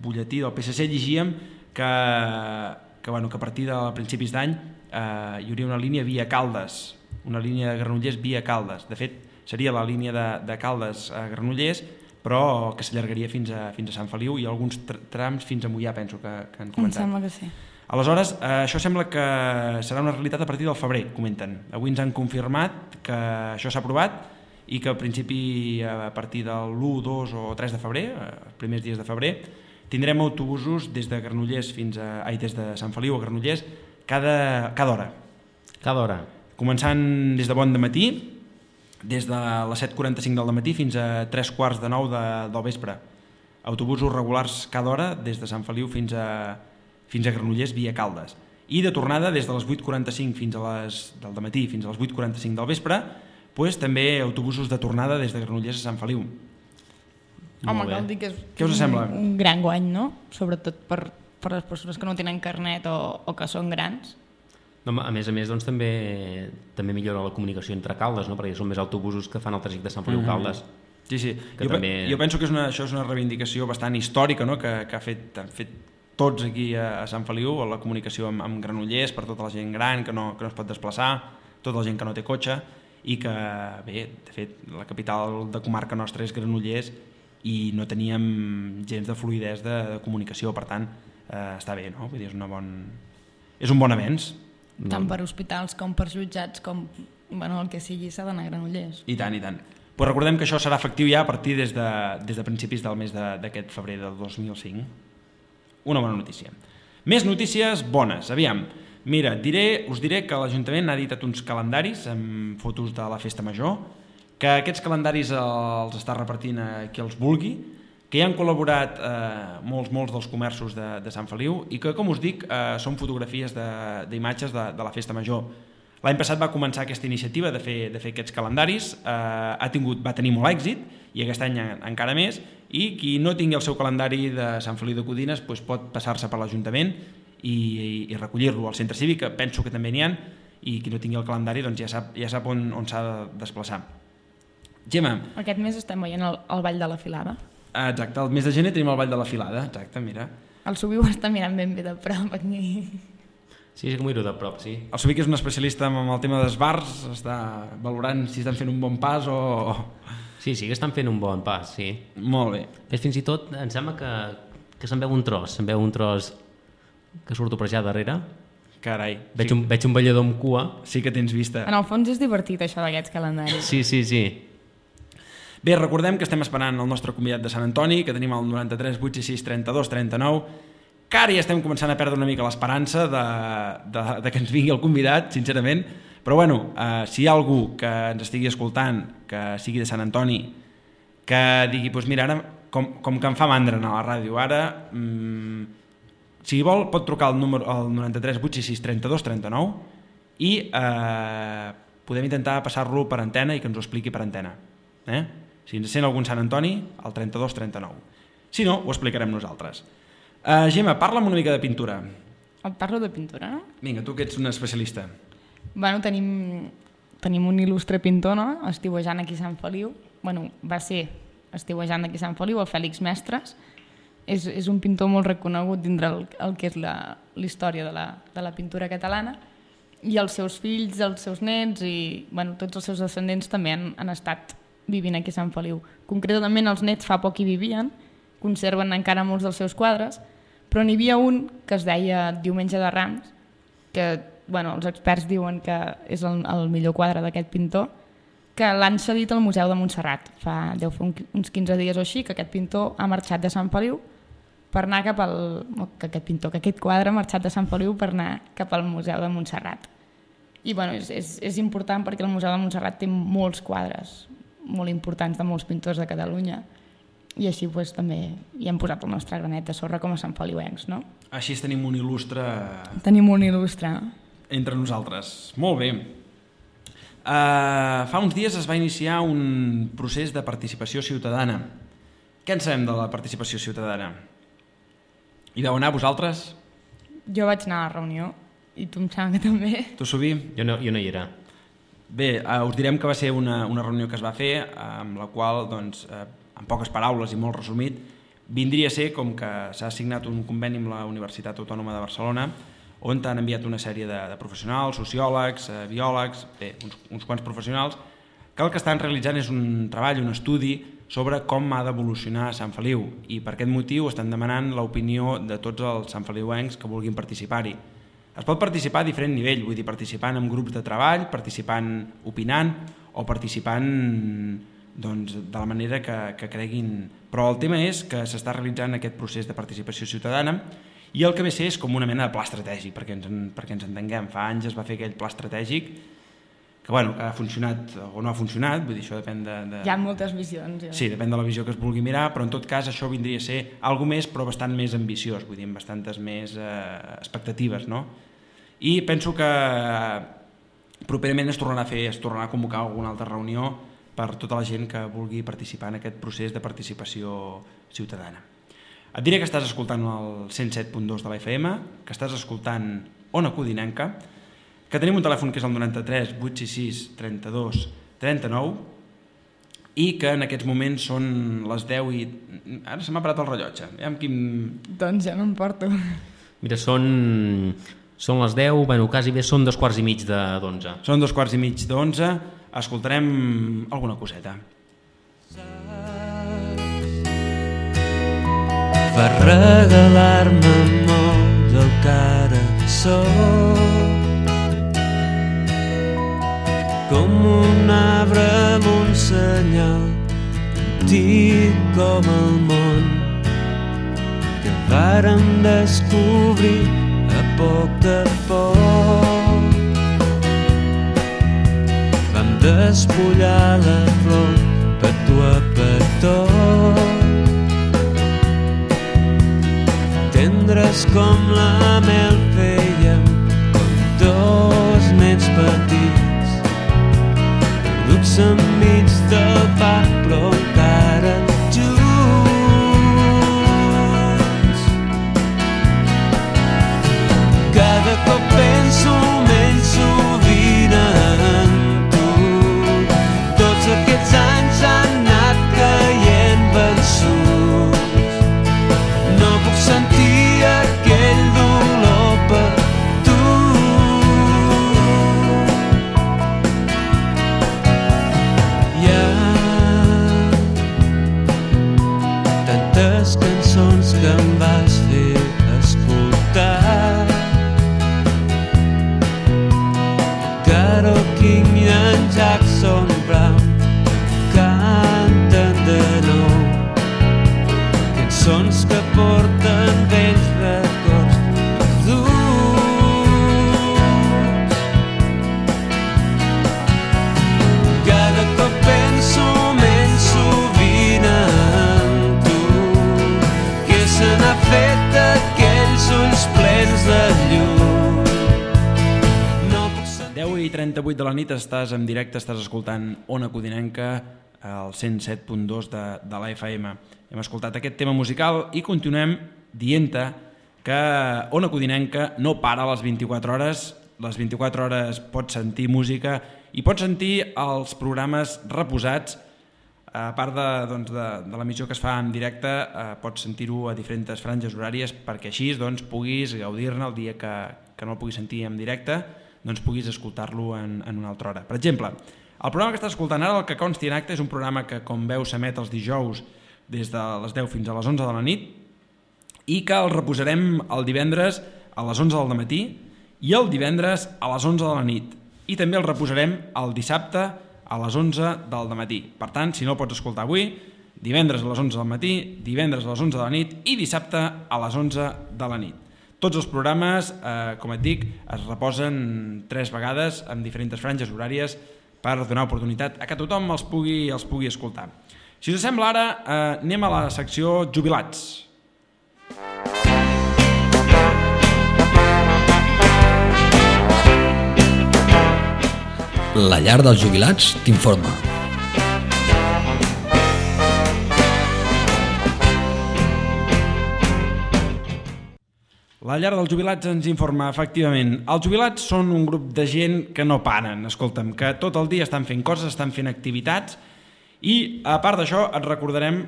butlletí del PSC llegíem que a partir de principis d'any hi hauria una línia via Caldes, una línia de Granollers via Caldes. De fet, seria la línia de Caldes a Granollers, però que s'allargaria fins a Sant Feliu i alguns trams fins a Moià, penso que han comentat. Em sembla que sí. Aleshores, això sembla que serà una realitat a partir del febrer, comenten. Avui ens han confirmat que això s'ha aprovat i que al principi, a partir del 1, 2 o 3 de febrer, els primers dies de febrer, tindrem autobusos des de Granollers des de Sant Feliu a Granollers cada hora. Cada hora. Començant des de bon dematí, des de les 7:45 del dematí fins a 3:15 del vespre. Autobusos regulars cada hora des de Sant Feliu fins a Granollers via Caldes. I de tornada des de les 8:45 del dematí fins a les 8:45 del vespre, també autobusos de tornada des de Granollers a Sant Feliu. Home, cal dir que Què us sembla? Un gran guany, no? Sobretot per les persones que no tenen carnet o que són grans. No, a més, doncs, també millora la comunicació entre Caldes, no? Perquè són més autobusos que fan el trajecte de Sant Feliu Caldes. Sí. Jo penso que això és una reivindicació bastant històrica, no? que han fet tots aquí a Sant Feliu, la comunicació amb Granollers per tota la gent gran que no es pot desplaçar, tota la gent que no té cotxe, i que, bé, de fet, la capital de comarca nostra és Granollers i no teníem gens de fluïdesa de comunicació, per tant, està bé, no? Vull dir, és un bon avenç. Tant per hospitals com per jutjats com el que sigui s'ha d'anar a Granollers. I tant. Però recordem que això serà efectiu ja a partir des de principis del mes d'aquest febrer del 2005. Una bona notícia. Més notícies bones. Aviam, mira, us diré que l'Ajuntament ha editat uns calendaris amb fotos de la Festa Major, que aquests calendaris els està repartint a qui els vulgui, que hi han col·laborat molts dels comerços de Sant Feliu i que, com us dic, són fotografies d'imatges de la Festa Major. L'any passat va començar aquesta iniciativa de fer aquests calendaris, va tenir molt èxit i aquest any encara més, i qui no tingui el seu calendari de Sant Feliu de Codines pot passar-se per l'Ajuntament i recollir-lo al centre cívic, que penso que també n'hi ha, i qui no tingui el calendari doncs ja sap on s'ha de desplaçar. Gemma. Aquest mes estem veient el Ball de la Filada. Exacte, el mes de gener tenim el Ball de la Filada, exacte, mira. El Subiu està mirant ben bé de prop aquí. Sí, que m'ho miro de prop, sí. El Subiu, que és un especialista en el tema dels bars, està valorant si estan fent un bon pas o... Sí, que estan fent un bon pas, sí. Molt bé. Fins i tot em sembla que se'n veu un tros, que surto per allà darrere. Carai. Veig un ballador amb cua. Sí que tens vista. En el fons és divertit això d'aquests calendaris. Sí. Bé, recordem que estem esperant el nostre convidat de Sant Antoni, que tenim el 93 866 32 39, que ara ja estem començant a perdre una mica l'esperança de que ens vingui el convidat, sincerament, però bueno, si hi ha algú que ens estigui escoltant, que sigui de Sant Antoni, que digui, doncs mira, ara com que em fa mandra anar a la ràdio, ara, si vol pot trucar al 93 866 32 39 i podem intentar passar-lo per antena i que ens ho expliqui per antena. Si ens sent algun Sant Antoni, al 32 39. Si no, ho explicarem nosaltres. Gemma, parla'm una mica de pintura. Et parlo de pintura, no? Vinga, tu que ets una especialista. Bueno, tenim un il·lustre pintor, no? Estiuejant aquí a Sant Feliu. Bueno, va ser estiuejant aquí a Sant Feliu, el Fèlix Mestres. És un pintor molt reconegut dintre el que és la història de la pintura catalana. I els seus fills, els seus nets i tots els seus descendents també han estat vivint aquí a Sant Feliu. Concretament els nets fa poc hi vivien, conserven encara molts dels seus quadres, però n'hi havia un que es deia Diumenge de Rams, que els experts diuen que és el millor quadre d'aquest pintor, que l'han cedit al Museu de Montserrat. Deu fer uns 15 dies o així que aquest pintor ha marxat de Sant Feliu per anar cap al... que aquest quadre ha marxat de Sant Feliu per anar cap al Museu de Montserrat. I és important perquè el Museu de Montserrat té molts quadres molt importants de molts pintors de Catalunya i així també hi hem posat el nostre granet de sorra com a Sant Feliuencs, no? Així tenim un il·lustre... Tenim un il·lustre. Entre nosaltres. Molt bé. Fa uns dies es va iniciar un procés de participació ciutadana. Què en sabem de la participació ciutadana? I vau anar vosaltres? Jo vaig anar a la reunió i tu em sembla que també. Tu, Subi? Jo no hi era. Bé, us direm que va ser una reunió que es va fer amb la qual, doncs, en poques paraules i molt resumit, vindria a ser com que s'ha signat un conveni amb la Universitat Autònoma de Barcelona on t'han enviat una sèrie de professionals, sociòlegs, biòlegs, bé, uns quants professionals, que el que estan realitzant és un treball, un estudi sobre com ha d'evolucionar Sant Feliu, i per aquest motiu estan demanant l'opinió de tots els santfeliuencs que vulguin participar-hi. Es pot participar a diferent nivell, vull dir, participant en grups de treball, participant opinant o participant doncs, de la manera que creguin. Però el tema és que s'està realitzant aquest procés de participació ciutadana i el que ve a ser és com una mena de pla estratègic, perquè ens entenguem. Fa anys es va fer aquell pla estratègic que, bueno, ha funcionat o no ha funcionat, vull dir, això depèn de... Hi ha moltes visions. Ja. Sí, depèn de la visió que es vulgui mirar, però en tot cas això vindria a ser alguna més, però bastant més ambiciós, vull dir, amb bastantes més expectatives, no? I penso que properament es tornarà a convocar alguna altra reunió per tota la gent que vulgui participar en aquest procés de participació ciutadana. Et diré que estàs escoltant el 107.2 de la FM, que estàs escoltant Ona Codinenca, que tenim un telèfon que és el 93 866 32 39 i que en aquests moments són les 10 i... Ara se m'ha parat el rellotge. Doncs ja m'emporto. Mira, són les 10, bueno, quasi bé són 2:15 d'11. Són 2:15 d'11, escoltarem alguna coseta. Va regalar-me molt el que ara soc, com un arbre amb un senyal antic com el món que vàrem descobrir a poc a poc. Vam despullar la flor petó a petó, tendres com la mel fèiem com dos nens petits, perduts enmig del parc però encara cada cop penso menys sovint en tu. Tots aquests anys han anat caient vençuts. No puc sentir aquell dolor per tu. Hi ha tantes cançons que em vas fer escoltar, Carole King i en Jackson Brown canten de nou cançons que porten vells records perduts. Cada cop penso menys sovint en tu, que se n'ha fet aquells ulls plens de llum. 10:38 de la nit, estàs en directe, estàs escoltant Ona Codinenca al 107.2 de la FM. Hem escoltat aquest tema musical i continuem dient-te que Ona Codinenca no para a les 24 hores. Les 24 hores pots sentir música i pots sentir els programes reposats. A part de l'emissió que es fa en directe, pots sentir-ho a diferents franges horàries perquè així puguis gaudir-ne el dia que no el puguis sentir en directe, doncs puguis escoltar-lo en una altra hora. Per exemple, el programa que estàs escoltant ara, el que consti en acte, és un programa que, com veus, s'emet els dijous des de les 10 fins a les 11 de la nit i que el reposarem el divendres a les 11 del matí i el divendres a les 11 de la nit. I també el reposarem el dissabte a les 11 del matí. Per tant, si no el pots escoltar avui, divendres a les 11 del matí, divendres a les 11 de la nit i dissabte a les 11 de la nit. Tots els programes, com et dic, es reposen 3 vegades en diferents franges horàries per donar oportunitat a que tothom els pugui escoltar. Si us sembla ara, anem a la secció Jubilats. La llar dels jubilats t'informa. La llar dels jubilats ens informa, efectivament, els jubilats són un grup de gent que no paren, escolta'm, que tot el dia estan fent coses, estan fent activitats, i a part d'això els recordarem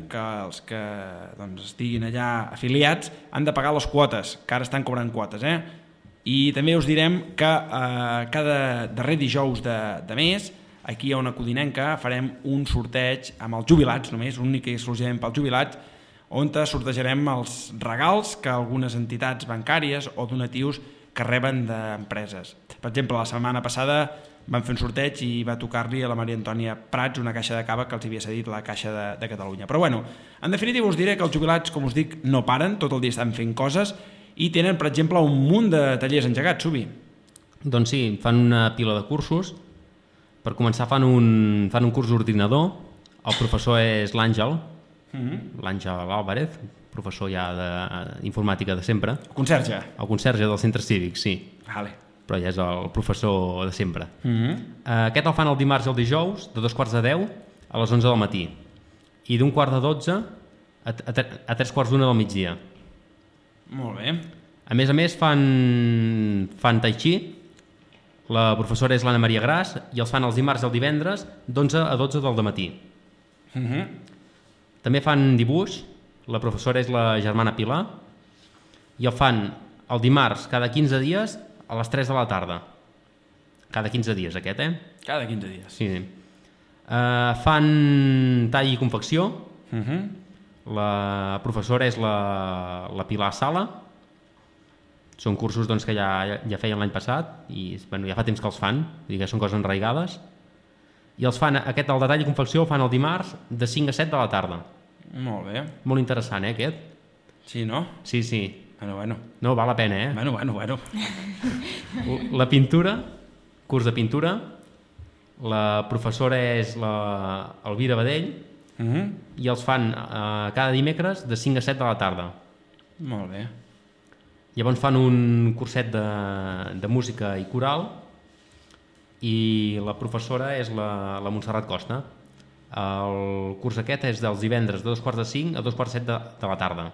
que els que estiguin allà afiliats han de pagar les quotes, que ara estan cobrant quotes, I també us direm que cada darrer dijous de mes, aquí a Ona Codinenca, farem un sorteig amb els jubilats, només, únic i exclusivament pels jubilats, on sortejarem els regals que algunes entitats bancàries o donatius que reben d'empreses. Per exemple, la setmana passada van fer un sorteig i va tocar-li a la Maria Antònia Prats una caixa de cava que els havia cedit la Caixa de Catalunya. Però bueno, en definitiva us diré que els jubilats, com us dic, no paren, tot el dia estan fent coses i tenen, per exemple, un munt de tallers engegats, Subi. Doncs sí, fan una pila de cursos. Per començar fan un curs d'ordinador, el professor és l'Àngel, l'Àngel Álvarez, professor ja d'informàtica de sempre. El conserge. El conserge del centre cívic, sí. Vale. Però ja és el professor de sempre. Aquest el fan el dimarts i el dijous, de 9:45 a les 11 del matí. I d'1 quart de 12 a 3:45 del migdia. Molt bé. A més, fan tai chi. La professora és l'Anna Maria Gras i els fan els dimarts i el divendres d'11 a 12 del matí. També fan dibuix, la professora és la germana Pilar, i el fan el dimarts cada 15 dies a les 3 de la tarda. Cada 15 dies aquest, Cada 15 dies. Sí. Fan tall i confecció, la professora és la Pilar Sala. Són cursos que ja feien l'any passat i ja fa temps que els fan, que són coses enraigades. I els fan, el de tall i confecció el fan el dimarts de 5 a 7 de la tarda. Molt bé. Molt interessant, aquest? Sí, no? Sí. Bueno. No, val la pena, Bueno. La pintura, curs de pintura, la professora és l'Elvira Badell i els fan cada dimecres de 5 a 7 de la tarda. Molt bé. Llavors fan un curset de música i coral i la professora és la Montserrat Costa. El curs aquest és dels divendres de 4:45 a 2:45 de la tarda.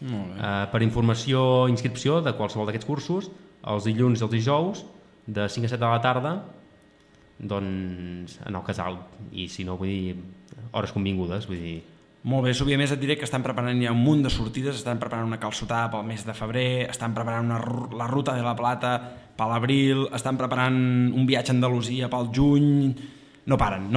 Molt bé. Per informació o inscripció de qualsevol d'aquests cursos, els dilluns i els dijous de 5 a 7 de la tarda en el casal, i si no, vull dir, hores convingudes, vull dir... Molt bé, Subi, a més et diré que estan preparant ja un munt de sortides, estan preparant una calçotada pel mes de febrer, estan preparant la Ruta de la Plata per l'abril, estan preparant un viatge a Andalusia pel juny... No paren.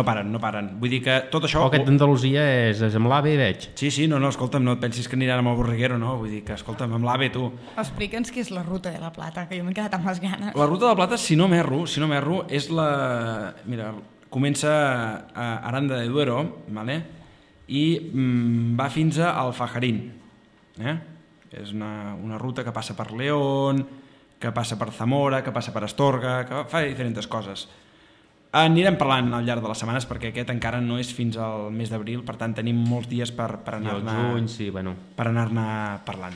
Vull dir que tot això... Aquest d'Andalusia és amb l'AVE, veig. Sí, no, escolta'm, no et pensis que aniran amb el Borriguero, no? Vull dir que, escolta'm, amb l'AVE, tu... Explica'ns què és la Ruta de la Plata, que jo m'he quedat amb les ganes. La Ruta de la Plata, si no m'erro, és la... Mira, comença a Aranda de Duero, ¿vale? I va fins a Alfajarín. És una ruta que passa per León, que passa per Zamora, que passa per Astorga, que fa diferents coses. Anirem parlant al llarg de les setmanes perquè aquest encara no és fins al mes d'abril, per tant tenim molts dies per anar-ne parlant.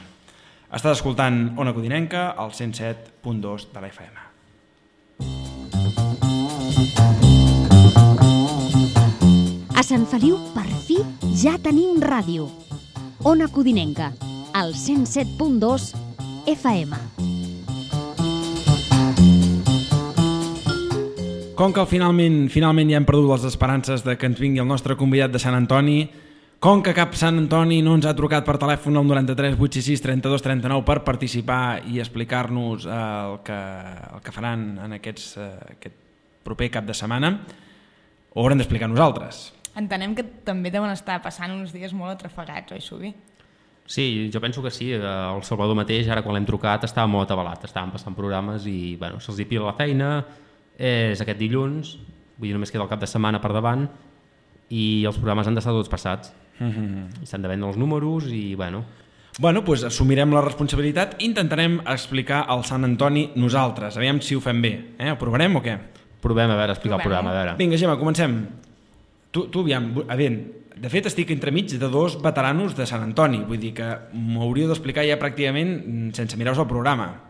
Estàs escoltant Ona Codinenca al 107.2 de la FM. A Sant Feliu, per fi, ja tenim ràdio. Ona Codinenca, al 107.2 FM. Com que finalment ja hem perdut les esperances de que ens vingui el nostre convidat de Sant Antoni, com que cap Sant Antoni no ens ha trucat per telèfon al 93 866 32 39 per participar i explicar-nos el que faran en aquest proper cap de setmana, ho haurem d'explicar nosaltres. Entenem que també deuen estar passant uns dies molt atrafegats, oi, Subi? Sí, jo penso que sí. El Salvador mateix, ara quan l'hem trucat, estava molt atabalat. Estaven passant programes i se'ls hi pila la feina. És aquest dilluns, vull dir, només queda el cap de setmana per davant i els programes han d'estar tots passats. S'han de vendre els números i doncs assumirem la responsabilitat i intentarem explicar el Sant Antoni nosaltres. Aviam si ho fem bé. Ho provarem o què? Provem, a veure, explicar el programa, a veure. Vinga, Gemma, comencem. Tu aviam, de fet estic entremig de dos veteranos de Sant Antoni, vull dir que m'hauríeu d'explicar ja pràcticament sense mirar-vos el programa.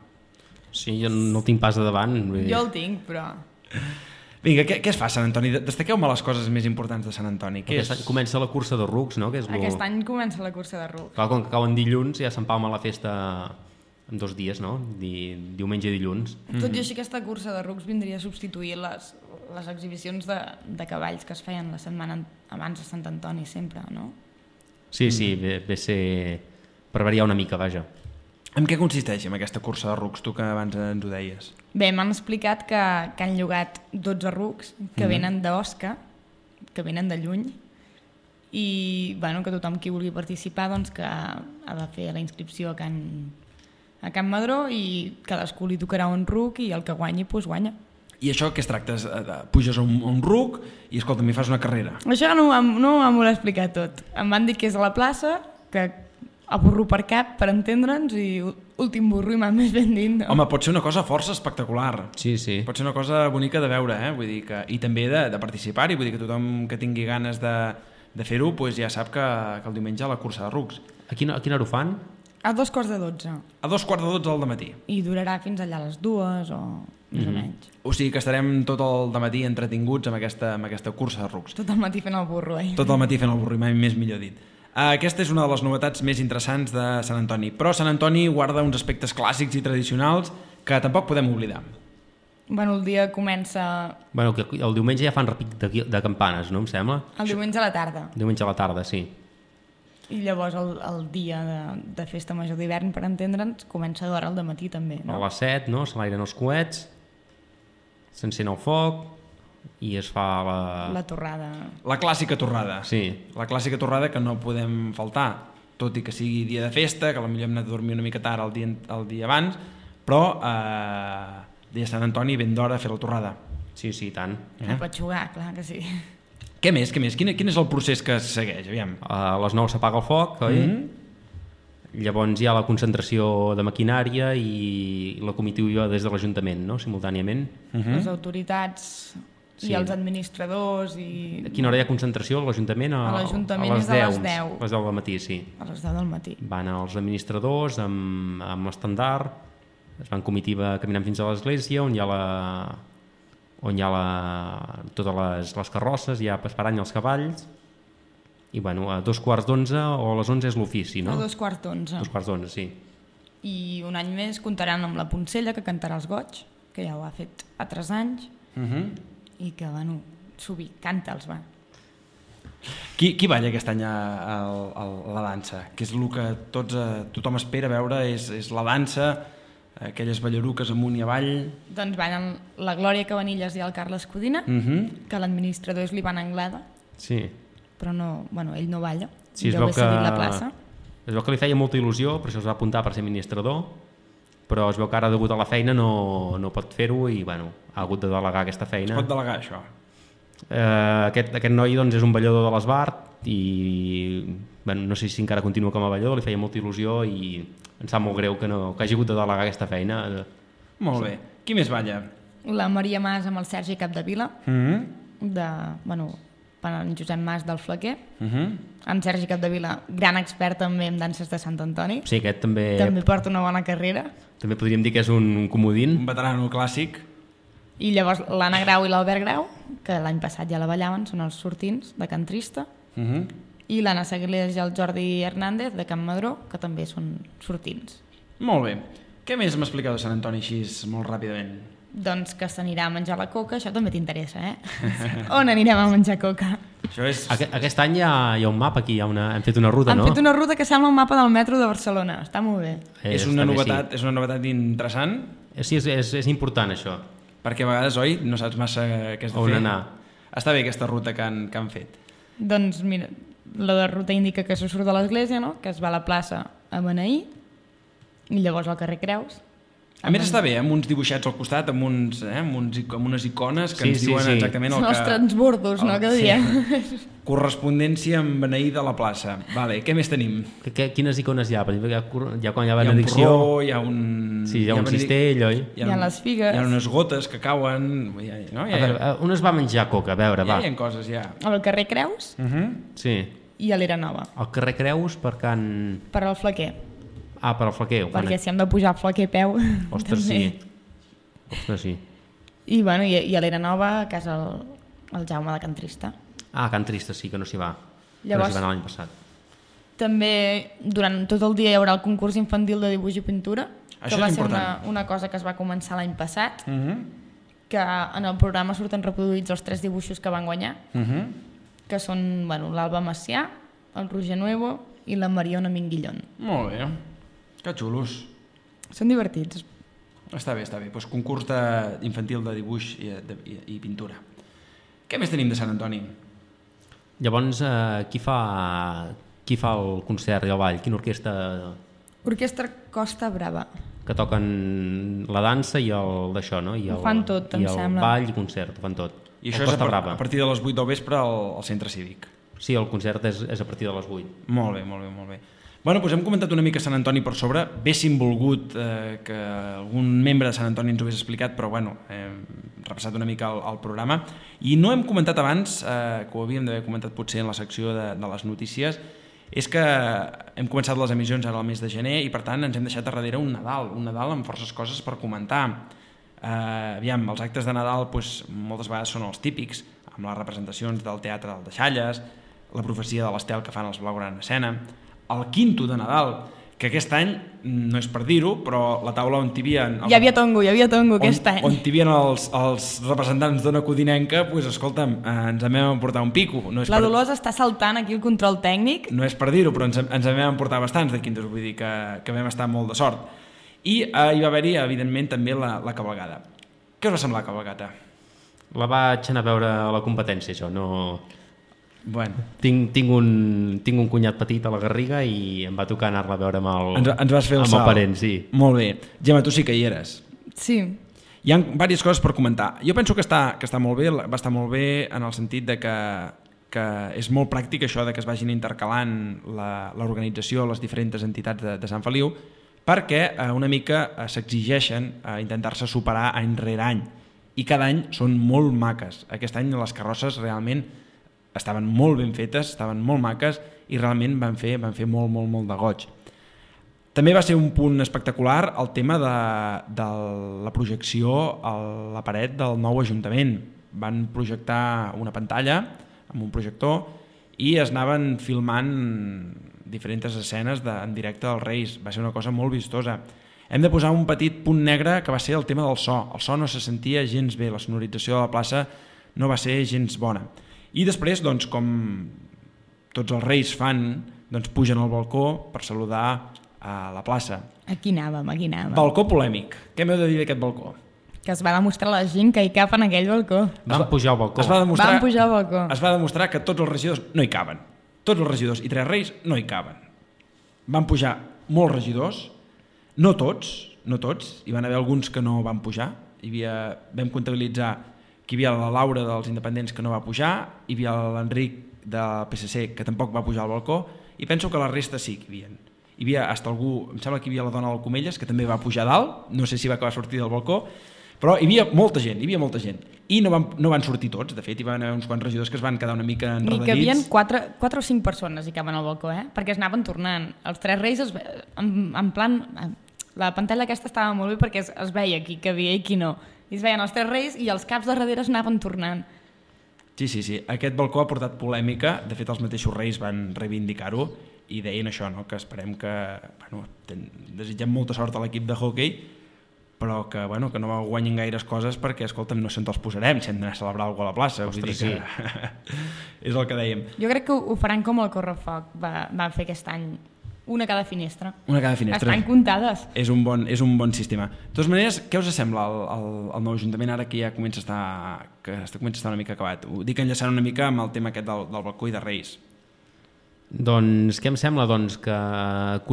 Sí, jo no el tinc pas de davant. Jo el tinc, però... Vinga, què es fa a Sant Antoni? Destaqueu-me les coses més importants de Sant Antoni. Aquest any comença la cursa de rucs, no? Que és Aquest any comença la cursa de rucs. Clar, com que cauen dilluns ja s'empalma la festa en 2 dies, no? Diumenge i dilluns. Tot i així, aquesta cursa de rucs vindria a substituir les exhibicions de cavalls que es feien la setmana abans de Sant Antoni sempre, no? Sí, ve a ser per variar una mica, vaja. En què consisteix en aquesta cursa de rucs, tu que abans ens ho deies? Bé, m'han explicat que han llogat 12 rucs que venen d'Osca, que venen de lluny, i bueno, que tothom qui vulgui participar doncs, que ha de fer la inscripció a Can Madró i cadascú li tocarà un ruc i el que guanyi, doncs guanya. I això què es tracta? Puges a un ruc i, escolta, m'hi fas una carrera. Això no m'ho vol explicar tot. Em van dir que és a la plaça, que a burro per cap, per entendre'ns, i últim burro i més ben dit. No? Home, pot ser una cosa força espectacular. Sí, sí. Pot ser una cosa bonica de veure, Vull dir que, i també de participar-hi. Vull dir que tothom que tingui ganes de fer-ho doncs ja sap que el diumenge a la cursa de rucs. A quina hora ho fan? A 2:45. A 2:45 del matí. I durarà fins allà a les 2 o més o menys. O sigui que estarem tot el dematí entretinguts amb aquesta cursa de rucs. Tot el matí fent el burro, Tot el matí fent el burro, mai més millor dit. Aquesta és una de les novetats més interessants de Sant Antoni, però Sant Antoni guarda uns aspectes clàssics i tradicionals que tampoc podem oblidar. Bueno, el dia comença... Bueno, que el diumenge ja fan repic de campanes, no em sembla? El diumenge a la tarda. Diumenge a la tarda, sí. I llavors el dia de festa major d'hivern, per entendre'ns, comença d'hora al dematí també, no? A les 7, no? Se l'airen els coets, s'encén el foc i es fa la torrada. La clàssica torrada. Sí. La clàssica torrada que no podem faltar, tot i que sigui dia de festa, que potser hem anat a dormir una mica tard el dia abans, però dia de Sant Antoni ben d'hora a fer la torrada. Sí, tant. No pot jugar, clar que sí. Què més? Quin és el procés que es segueix? Aviam. A les 9 s'apaga el foc, oi? Llavors hi ha la concentració de maquinària i la comitiva des de l'Ajuntament, no? Simultàniament. Les autoritats i els administradors i... A quina hora hi ha concentració a l'Ajuntament? A l'Ajuntament és a les 10. A les 10 del matí, sí. A les 10 del matí. Van els administradors amb l'estandard, es van comitiva caminant fins a l'església on hi ha totes les carrosses, ja esperant els cavalls, i bueno, a 2:15 o a les 11 és l'ofici, no? A 2:15. 2:15, sí. I un any més comptaran amb la Poncella, que cantarà els goig, que ja ho ha fet altres anys, i que, bueno, canta'ls, va. Qui balla aquest any a la dansa? Que és el que tothom espera veure, és la dansa, aquelles ballaruques amunt i avall. Doncs ballen la Glòria Cabanillas i el Carles Codina, que l'administrador és l'Ivan Anglada, sí. però no, bueno, ell no balla, sí, deu haver seguit la plaça. Es veu que li feia molta il·lusió, per això es va apuntar per ser administrador, però es veu que ara, degut a la feina, no pot fer-ho i bueno, ha hagut de delegar aquesta feina. Es pot delegar, això? Aquest noi doncs, és un ballador de l'Esbart i bueno, no sé si encara continua com a ballador, li feia molta il·lusió i em sap molt greu que hagi hagut de delegar aquesta feina. Molt bé. Qui més balla? La Maria Mas amb el Sergi Capdevila, en Josep Mas del Flaquer, en Sergi Capdevila, gran expert també en danses de Sant Antoni. Sí, aquest també porta una bona carrera. També podríem dir que és un comodín. Un veterano clàssic. I llavors l'Anna Grau i l'Albert Grau, que l'any passat ja la ballaven, són els sortints de Can Trista, i l'Anna Saglés i el Jordi Hernández de Can Madró, que també són sortints. Molt bé. Què més m'expliqueu de Sant Antoni així molt ràpidament? Doncs que s'anirà a menjar la coca, això també t'interessa, On anirem a menjar coca? Aquest any hi ha un mapa aquí, hem fet una ruta, no? Hem fet una ruta que sembla un mapa del metro de Barcelona, està molt bé. És una novetat interessant? Sí, és important això. Perquè a vegades, oi, no saps massa què has de fer. On anar. Està bé aquesta ruta que han fet. Doncs mira, la ruta indica que se surt de l'església, no? Que es va a la plaça a beneir i llavors al carrer Creus. A més està bé, amb uns dibuixats al costat, amb unes icones que ens diuen exactament el que... Són els transbordos, no? Que diem. Correspondència amb beneir de la plaça. Vale, què més tenim? Quines icones hi ha? Quan hi ha benedicció... Hi ha un porró, hi ha un... Sí, hi ha un cistell, oi? Hi ha les figues. Hi ha unes gotes que cauen... On es va menjar coca? A veure, va. Hi ha coses, ja. Al carrer Creus? Sí. I a l'Era Nova. Al carrer Creus per Can... Per al Flaquer. Per al Flaquer. Perquè si hem de pujar al Flaquer a peu... Ostres, sí. Ostres, sí. I, bueno, i a l'Era Nova, a casa el Jaume de Can Trista. Ah, Can Trista sí que no s'hi va. Llavors, no s'hi va anar l'any passat. També durant tot el dia hi haurà el concurs infantil de dibuix i pintura, Això que va és ser important. una cosa que es va començar l'any passat, que en el programa surten reproduïts els 3 dibuixos que van guanyar, que són l'Alba Macià, el Roger Nuevo i la Mariona Minguillón. Molt bé, que xulos. Són divertits. Està bé. Doncs concurs infantil de dibuix i pintura. Què més tenim de Sant Antoni? Llavors, qui fa el concert i el ball? Quina orquestra? Orquestra Costa Brava. Que toquen la dansa i el d'això, no? I Ho fan tot, em sembla. I el ball i concert, ho fan tot. I això és a partir de les 8 del vespre al centre cívic. Sí, el concert és a partir de les 8. Molt bé. Bueno, doncs hem comentat una mica Sant Antoni per sobre. Haguéssim volgut que algun membre de Sant Antoni ens ho hagués explicat, però bueno, hem repassat una mica el programa. I no hem comentat abans, que ho havíem d'haver comentat potser en la secció de les notícies, és que hem començat les emissions ara al mes de gener i per tant ens hem deixat a darrere un Nadal amb forces coses per comentar. Aviam, els actes de Nadal moltes vegades són els típics, amb les representacions del Teatre del Deixalles, la profecia de l'Estel que fan els Blaugrana Escena, el quinto de Nadal, que aquest any, no és per dir-ho, però la taula on hi havia... Hi havia tongo aquest any. On hi havia els representants d'Ona Codinenca, escolta'm, ens en vam emportar un pico. La Dolors està saltant aquí el control tècnic. No és per dir-ho, però ens en vam emportar bastants de quintos, vull dir que vam estar molt de sort. I hi va haver-hi, evidentment, també la cabalgada. Què us va semblar la cabalgata? La vaig anar a veure a la competència, això, no... Bueno. Tinc un cunyat petit a la Garriga i em va tocar anar-la a veure amb el, ens vas fer el salt. parent, sí. Molt bé. Gemma, tu sí que hi eres. Sí. Hi ha diverses coses per comentar. Jo penso que està molt bé, va estar molt bé en el sentit de que és molt pràctic això de que es vagin intercalant l'organització, les diferents entitats de Sant Feliu, perquè una mica s'exigeixen a intentar-se superar any rere any. I cada any són molt maques. Aquest any les carrosses realment estaven molt ben fetes, estaven molt maques i realment van fer molt de goig. També va ser un punt espectacular el tema de la projecció a la paret del nou Ajuntament. Van projectar una pantalla amb un projector i es anaven filmant diferents escenes en directe dels Reis. Va ser una cosa molt vistosa. Hem de posar un petit punt negre que va ser el tema del so. El so no se sentia gens bé, la sonorització de la plaça no va ser gens bona. I després, doncs, com tots els Reis fan, doncs pugen al balcó per saludar a la plaça. Aquí anàvem. Balcó polèmic. Què m'heu de dir d'aquest balcó? Que es va demostrar a la gent que hi cap en aquell balcó. Van pujar al balcó. Van pujar al balcó. Es va demostrar que tots els regidors no hi caben. Tots els regidors i 3 Reis no hi caben. Van pujar molts regidors, no tots, hi van haver alguns que no van pujar. Vam comptabilitzar que hi havia la Laura dels Independents que no va pujar, hi havia l'Enric del PSC que tampoc va pujar al balcó, i penso que la resta sí que hi havia. Hi havia hasta algú, em sembla que hi havia la dona del Comelles que també va pujar dalt, no sé si va acabar sortir del balcó, però hi havia molta gent, i no van sortir tots, de fet hi van haver uns quants regidors que es van quedar una mica enredadits. Ni que hi havia 4 o 5 persones hi caben al balcó, perquè es anaven tornant. Els 3 Reis, en plan, la pantalla aquesta estava molt bé perquè es veia qui havia i qui no. I es veien els 3 Reis i els caps de darrere es anaven tornant. Sí. Aquest balcó ha portat polèmica. De fet, els mateixos Reis van reivindicar-ho i deien això, no? Que esperem que... desitgem molta sort a l'equip de hoquei, però que no guanyin gaires coses perquè, escolta'm, no se'n els posarem si hem d'anar a celebrar alguna cosa a la plaça. Ostres, sí. És el que dèiem. Jo crec que ho faran com el Correfoc va fer aquest any. Una cada finestra. Estan comptades. És un bon sistema. De totes maneres, què us sembla el nou Ajuntament ara que ja comença a estar una mica acabat? Ho dic enllaçant una mica amb el tema aquest del balcó i de Reis. Doncs què em sembla? Doncs que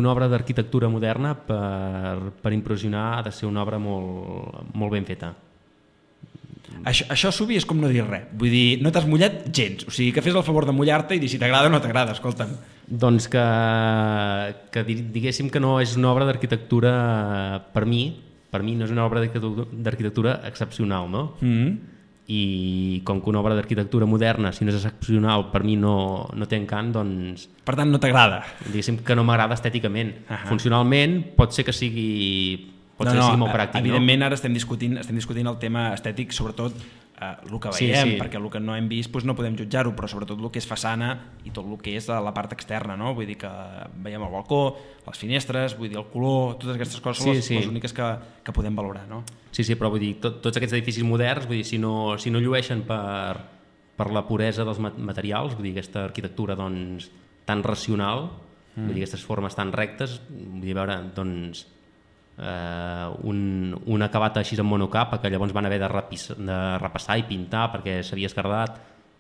una obra d'arquitectura moderna per impressionar ha de ser una obra molt ben feta. Això Subi és com no dir res. Vull dir, no t'has mullat gens. O sigui, que fes el favor de mullar-te i dir si t'agrada o no t'agrada, escolta'm. Doncs que diguéssim que no és una obra d'arquitectura per mi no és una obra d'arquitectura excepcional, no? I com que una obra d'arquitectura moderna, si no és excepcional, per mi no té encant, doncs... Per tant, no t'agrada. Diguéssim que no m'agrada estèticament. Funcionalment pot ser que sigui pot ser molt pràctic. Evidentment, ara estem discutint el tema estètic, sobretot el que veiem, perquè el que no hem vist no podem jutjar-ho, però sobretot el que és façana i tot el que és la part externa, no? Vull dir que veiem el balcó, les finestres, vull dir el color, totes aquestes coses són les úniques que podem valorar, no? Sí, però vull dir, tots aquests edificis moderns, vull dir, si no llueixen per la puresa dels materials, vull dir, aquesta arquitectura doncs, tan racional, vull dir, aquestes formes tan rectes, vull dir, veure, doncs, un acabat així en monocapa que llavors van haver de repassar i pintar perquè s'havia esquerdat,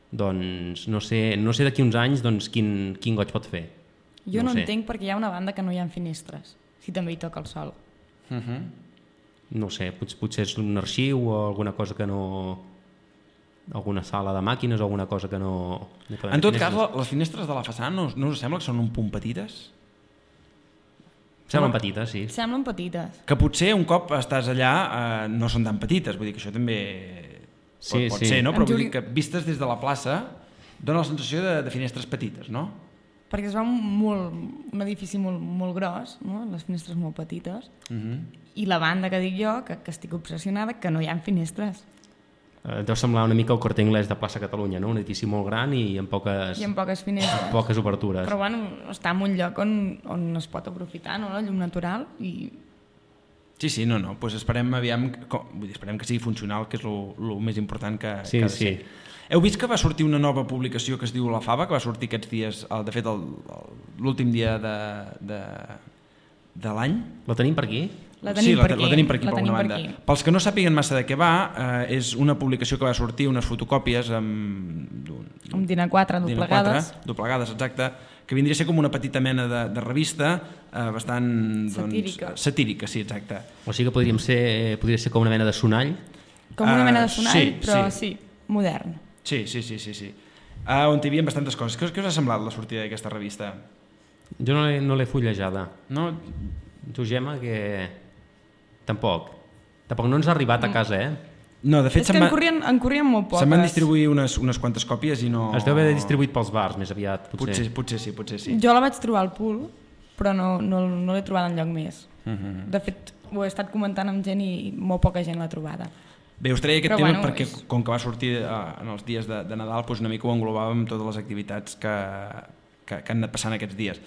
doncs no sé d'aquí uns anys doncs, quin goig pot fer. Jo no entenc perquè hi ha una banda que no hi ha finestres, si també hi toca el sol. No sé, potser és un arxiu o alguna cosa que no... alguna sala de màquines o alguna cosa que no... En tot cas, les finestres de la façana no us sembla que són un punt petites? Semblen petites, sí. Semblen petites. Que potser un cop estàs allà no són tan petites, vull dir que això també pot ser, no? Però vull dir que vistes des de la plaça dona la sensació de finestres petites, no? Perquè es veu un edifici molt gros, no? Les finestres molt petites, i la banda que dic jo, que estic obsessionada, que no hi ha finestres. Deu semblar una mica el Corte Inglés de plaça Catalunya, no? Un edifici molt gran i amb poques finestres. Poques obertures. Però bueno, està en un lloc on es pot aprofitar, no? La llum natural i... Sí, no, doncs esperem que sigui funcional, que és el més important que ha de ser. Heu vist que va sortir una nova publicació que es diu La Fava, que va sortir aquests dies, de fet l'últim dia de l'any? La tenim per aquí? La tenim per aquí, per una banda. Pels que no sàpiguen massa de què va, és una publicació que va sortir, unes fotocòpies amb DIN A4 doblegades, exacte, que vindria a ser com una petita mena de revista bastant satírica, sí, exacte. O sigui que podria ser com una mena de sonall? Com una mena de sonall, però sí, modern. Sí. On hi havia bastantes coses. Què us ha semblat la sortida d'aquesta revista? Jo no l'he fullejada. No? Tu, Gemma, que... Tampoc no ens ha arribat a casa, No, de fet, és que en corrien molt poques. Se'n van distribuir unes quantes còpies i no... Es deu haver distribuït pels bars més aviat, potser. Potser sí. Jo la vaig trobar al Pool, però no l'he trobada enlloc més. De fet, ho he estat comentant amb gent i molt poca gent l'ha trobada. Bé, us treia aquest tema perquè com que va sortir en els dies de Nadal, doncs una mica ho englobàvem totes les activitats que han anat passant aquests dies.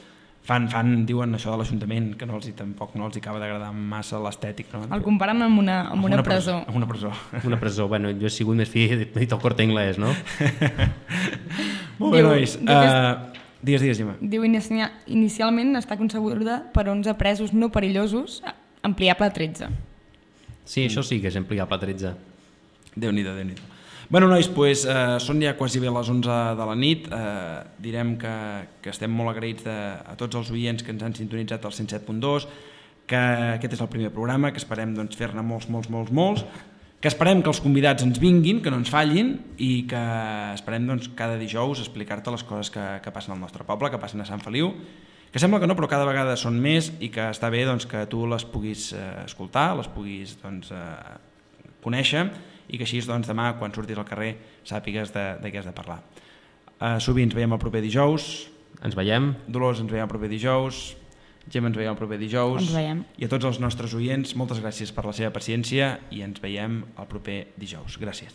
Diuen això de l'Ajuntament, que tampoc no els acaba d'agradar massa l'estètic. No? El comparen amb una presó. Amb una presó. Una presó, bueno, jo he sigut més fi, he dit el Corte Inglés, no? Molt bé, nois. Digues, Gemma. Diu, inicialment està concebuda per 11 presos no perillosos, ampliable a 13. Sí, això sí que és ampliable a 13. Déu-n'hi-do. Bueno, nois, són ja quasi bé les 11 de la nit. Direm que estem molt agraïts a tots els oients que ens han sintonitzat al 107.2, que aquest és el primer programa, que esperem fer-ne molts, que esperem que els convidats ens vinguin, que no ens fallin, i que esperem cada dijous explicar-te les coses que passen al nostre poble, que passen a Sant Feliu, que sembla que no, però cada vegada són més i que està bé que tu les puguis escoltar, les puguis conèixer, i que així demà, quan surtis al carrer, sàpigues de què has de parlar. Sovint ens veiem el proper dijous. Ens veiem. Dolors, ens veiem el proper dijous. Gemma, ens veiem el proper dijous. Ens veiem. I a tots els nostres oients, moltes gràcies per la seva paciència i ens veiem el proper dijous. Gràcies.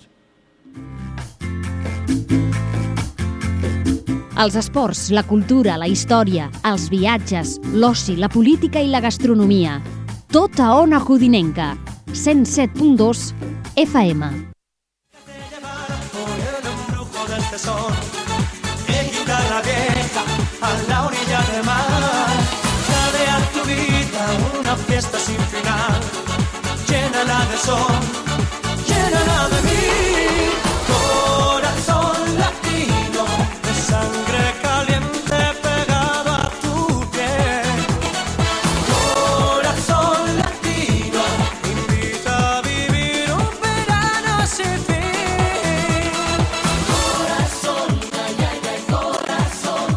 Els esports, la cultura, la història, els viatges, l'oci, la política i la gastronomia. Tot a Ona Codinenca. 107.2 FM. La vieja a la orilla del mar, dale a tu vida una fiesta sin final, llénala de sol, llénala de mí, corazón latino, de sangre caliente pegado a tu piel, corazón latino, invita a vivir un verano sin fin, corazón, ay, ay, ay, corazón.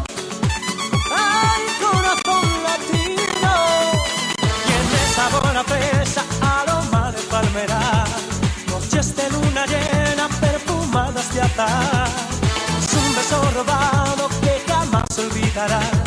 Ay, corazón latino, tiene sabor a fresa, aroma de palmera, noches de luna llena, perfumadas de azahar, es un beso robado que jamás olvidarás.